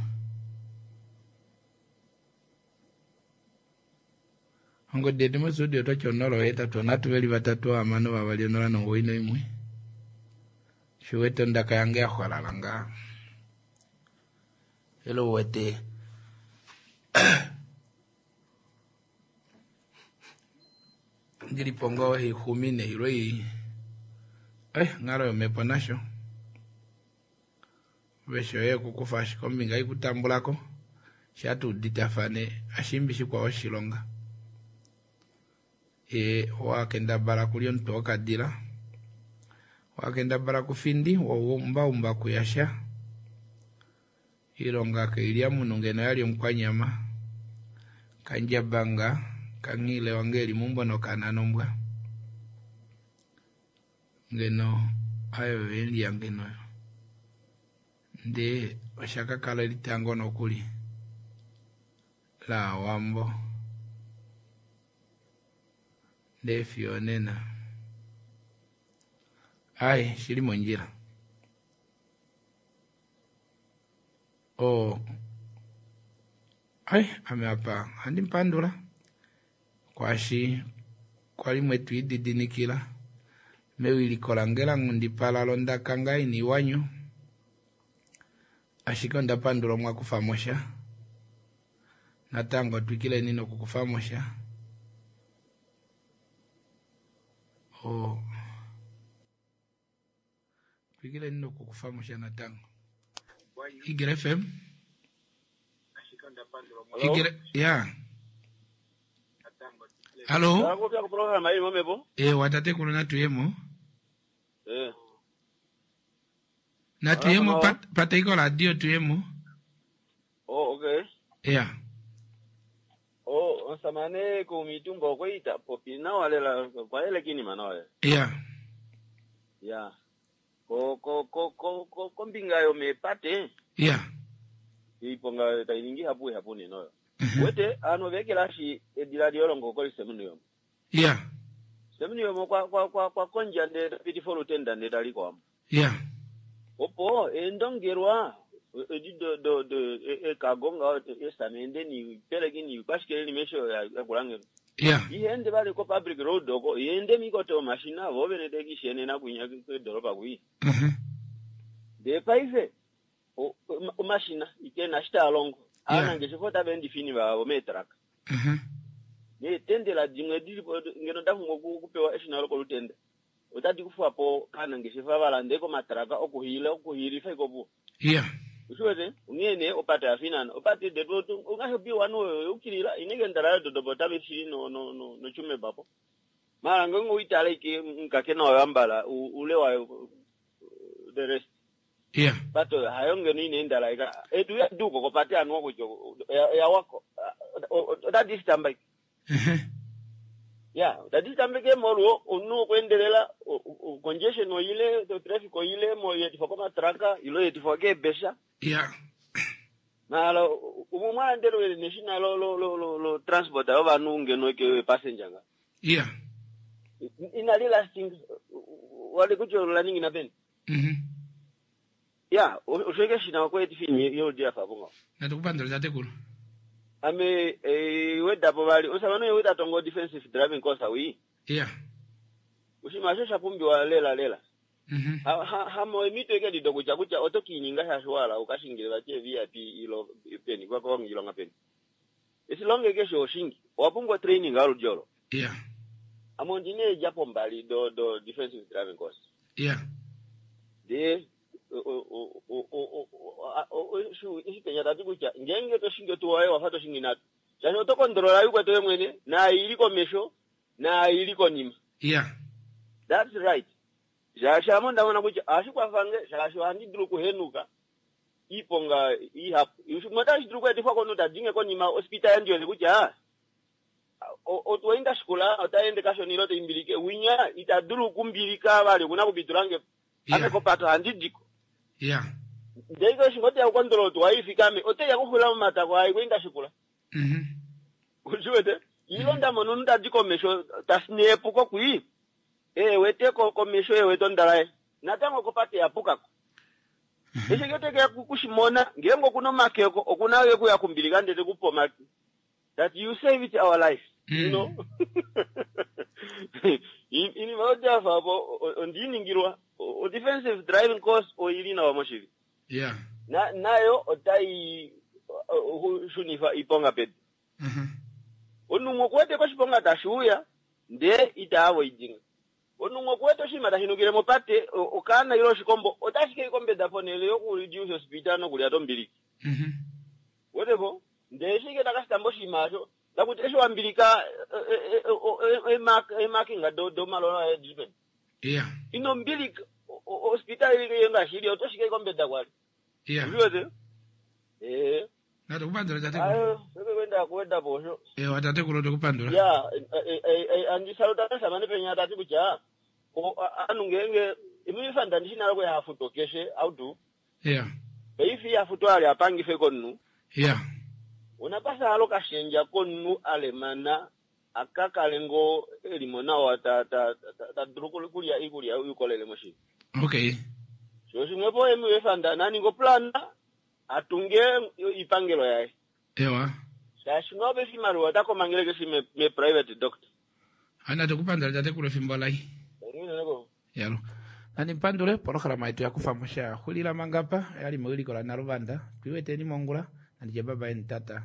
Ongodi yetu mostudio otwati 083 3 6 2 0 91 shiwete ondaka yange ya xwalala ngaa elo uwete ndilipo ngoo haixumine ilo i onghalo yomhepo nasho vesho yoye okukufa ashike ombinga ikutambulako shatuuditafane ashimbi shikwao oshilonga ye wakendabala kulya omutwe wokadila wakendabala kufindi waumbaumba kuyasha ilonga kailya munhu ngeno yali omukwanyama kandjabanga kanghile wange eli meumbo nokananombwa ngeno ayo velya ngeno ndee oshakakala elitango nokuli laawambo ndee fiyo onena ai shili mondjila o ai ame apa ohandi mupandula kwaashi kwali mwetu ididinikila mewiliko lange la nghundipala londaka ngaa ina iwanyo ashike onda pandula omwa kufa mo sha natango twikileni nokukufa mo sha o twikileni nokukufa mo sha natango. Igre FM Igre ya Hallo Akupya ku program ayi momhepo. Eh watatekulu natuyemo Eh. natuyemo Hello. pat, pataiko radio tuyemo Oh, okay. ya Oh, osamane kumitumba okweita popi nawa lela kwayelekini nawa lela. ya Ya. Ko ko ko ko ko kombinga yo mepate ya iponga tainingi hapu hapu ninoyo. Wete ano vekelashi edila lyolongo koli semuniyo. ya Semuniyo mo kwa kwa kwa kwa konja nde beautiful tenda nde taliko ya Opo endongerwa edi do do do ekagonga esamende ni peleki kwashikele ni mesho ya kulangelo. ya Ihende vali ko public road oko ihende mikoto mashina vovene tekishene nakunya kwedhoroba kui. Ndee paife omashina ikena shitalongo. Yeah. Ana ngeshe tavendi vavo metraka. Neetendela dimwe dilipo ngeno ndafunga kupewa eshina lokolutenda. Otadi kufapo kana ngeshefa valandeko matraka okuhila okuhilifa ikopo. ya. Ushiwete onghee nee opate yafinana opate detu ongasho B1 oyo yukilila ineke ndala yododobo otave shili no no no notsumeb apo mara ngenge uitale ike nkake nawa yambala ule wayo the rest Yeah. pato hayo ngeno ine endala ika etu yaduko kopate anuwa kutya yawako otadisitamba ike ya otadisitambike molwo omunhu okwendelela congestion oile traffic oile moyetifwa komatraka ilo yetifwa keebesha Yeah. mara umwe mwalandelwele neshina lo lo lo lo, lo transport yovanhu ngeno ike passenger nga Yeah. inali lasting wali kutya olaningina peni Mhm. ya oshoike shina okwetifa yoludi yafa apo ngaho Natukupandula tatekulu. Ame eh, wedapo vali osamane weda tongo defensive driving course awi Yeah. oshinima osho sha pumbiwa lela lela Mhm. Hamo emito ike dido kutya kutya oto kiininga shaashi wala ukashingile vati VIP ilo peni kwakonga peni esilonge keshe oshingi owa pumbwa training aludi olo Yeah. ame ondina eedjapo mbali do do defensive driving course Yeah. de eshi penya tati kutya ngenge toshingi otuwa wafa toshingi natu shaashi oto kondolola yukwete we mwene naayili komesho naayili konima Yeah. that's right shaashi ame ndamona kutya ohashi kwafange shaashi ohandi dulu okuhenuka iiponga ihapu shimwe otashi dulu okweetifwa komunhu tadinge konima ospita yandiwete kutya otuwainda shikula otaende kashona ile toimbilike winya ita dulu okumbilika vali okuna kupitulange ame kopato handi diko Yeah. ndeike oshinga oteya kukondolola otuwaifika ame oteya kuxula momatako ai kuinda shikula Mhm. ushiwete ilo ndamona omunhu tadi komesho tasineepuko kwii ewete komesho ewete ondalaye natango kopate yapukako eshi ke kushimona ngenge okuna omakeko okuna ekuya kumbilika ndete kupa omake that you save it our life you know inima yotafa apo ondiiningilwa o defensive driving course oili nawa moshili Yeah. na nayo otai shunifa iponga pedu Mhm. omunhu okuwete koshiponga tashi uya ndee itaavo idinga omunhu okuwete oshinima tashi nukile mopate okaana ile oshikombo otashi kei kombeda ponhele yokureduce ospita nokulya tombiliki Mhm. wetepo ndee shike takashitamba oshinima asho takuti eshi wambilika emakinga domalola adipeni Yeah. ino mbilika ospitali yenga shili otoshikei kombeda kwali Yeah. uliwete ee Natukupandula tatekulu. ayo sekekwenda kuwedapo osho Ewa tatekulu tukupandula. ya andisaluta samane penya tati kutya anhu ngenge imifanda ndishinalo kwe hafuto keshe audu Yeah. paifi hafuto ali apangife konnu Yeah. unapasa alo kashenja konnu alemana akakale ngo elimo nawa ta ta ta- ta dulu kulya ikulya ukolele moshili Okay. sho shimwepo emiwefanda naningo plana atunge ipangelo yaye Ewa. shaashi ngaope oshimaliwa otakomangele keshi me, me private doctor Ana tukupandula tatekulu efimbo lai. Yalo. Nani mpandule polohalama yetu yakufa mosha xulila mangapa yali mewiliko la Naluvanda. Twiweteni mongula nandije baba eni tata.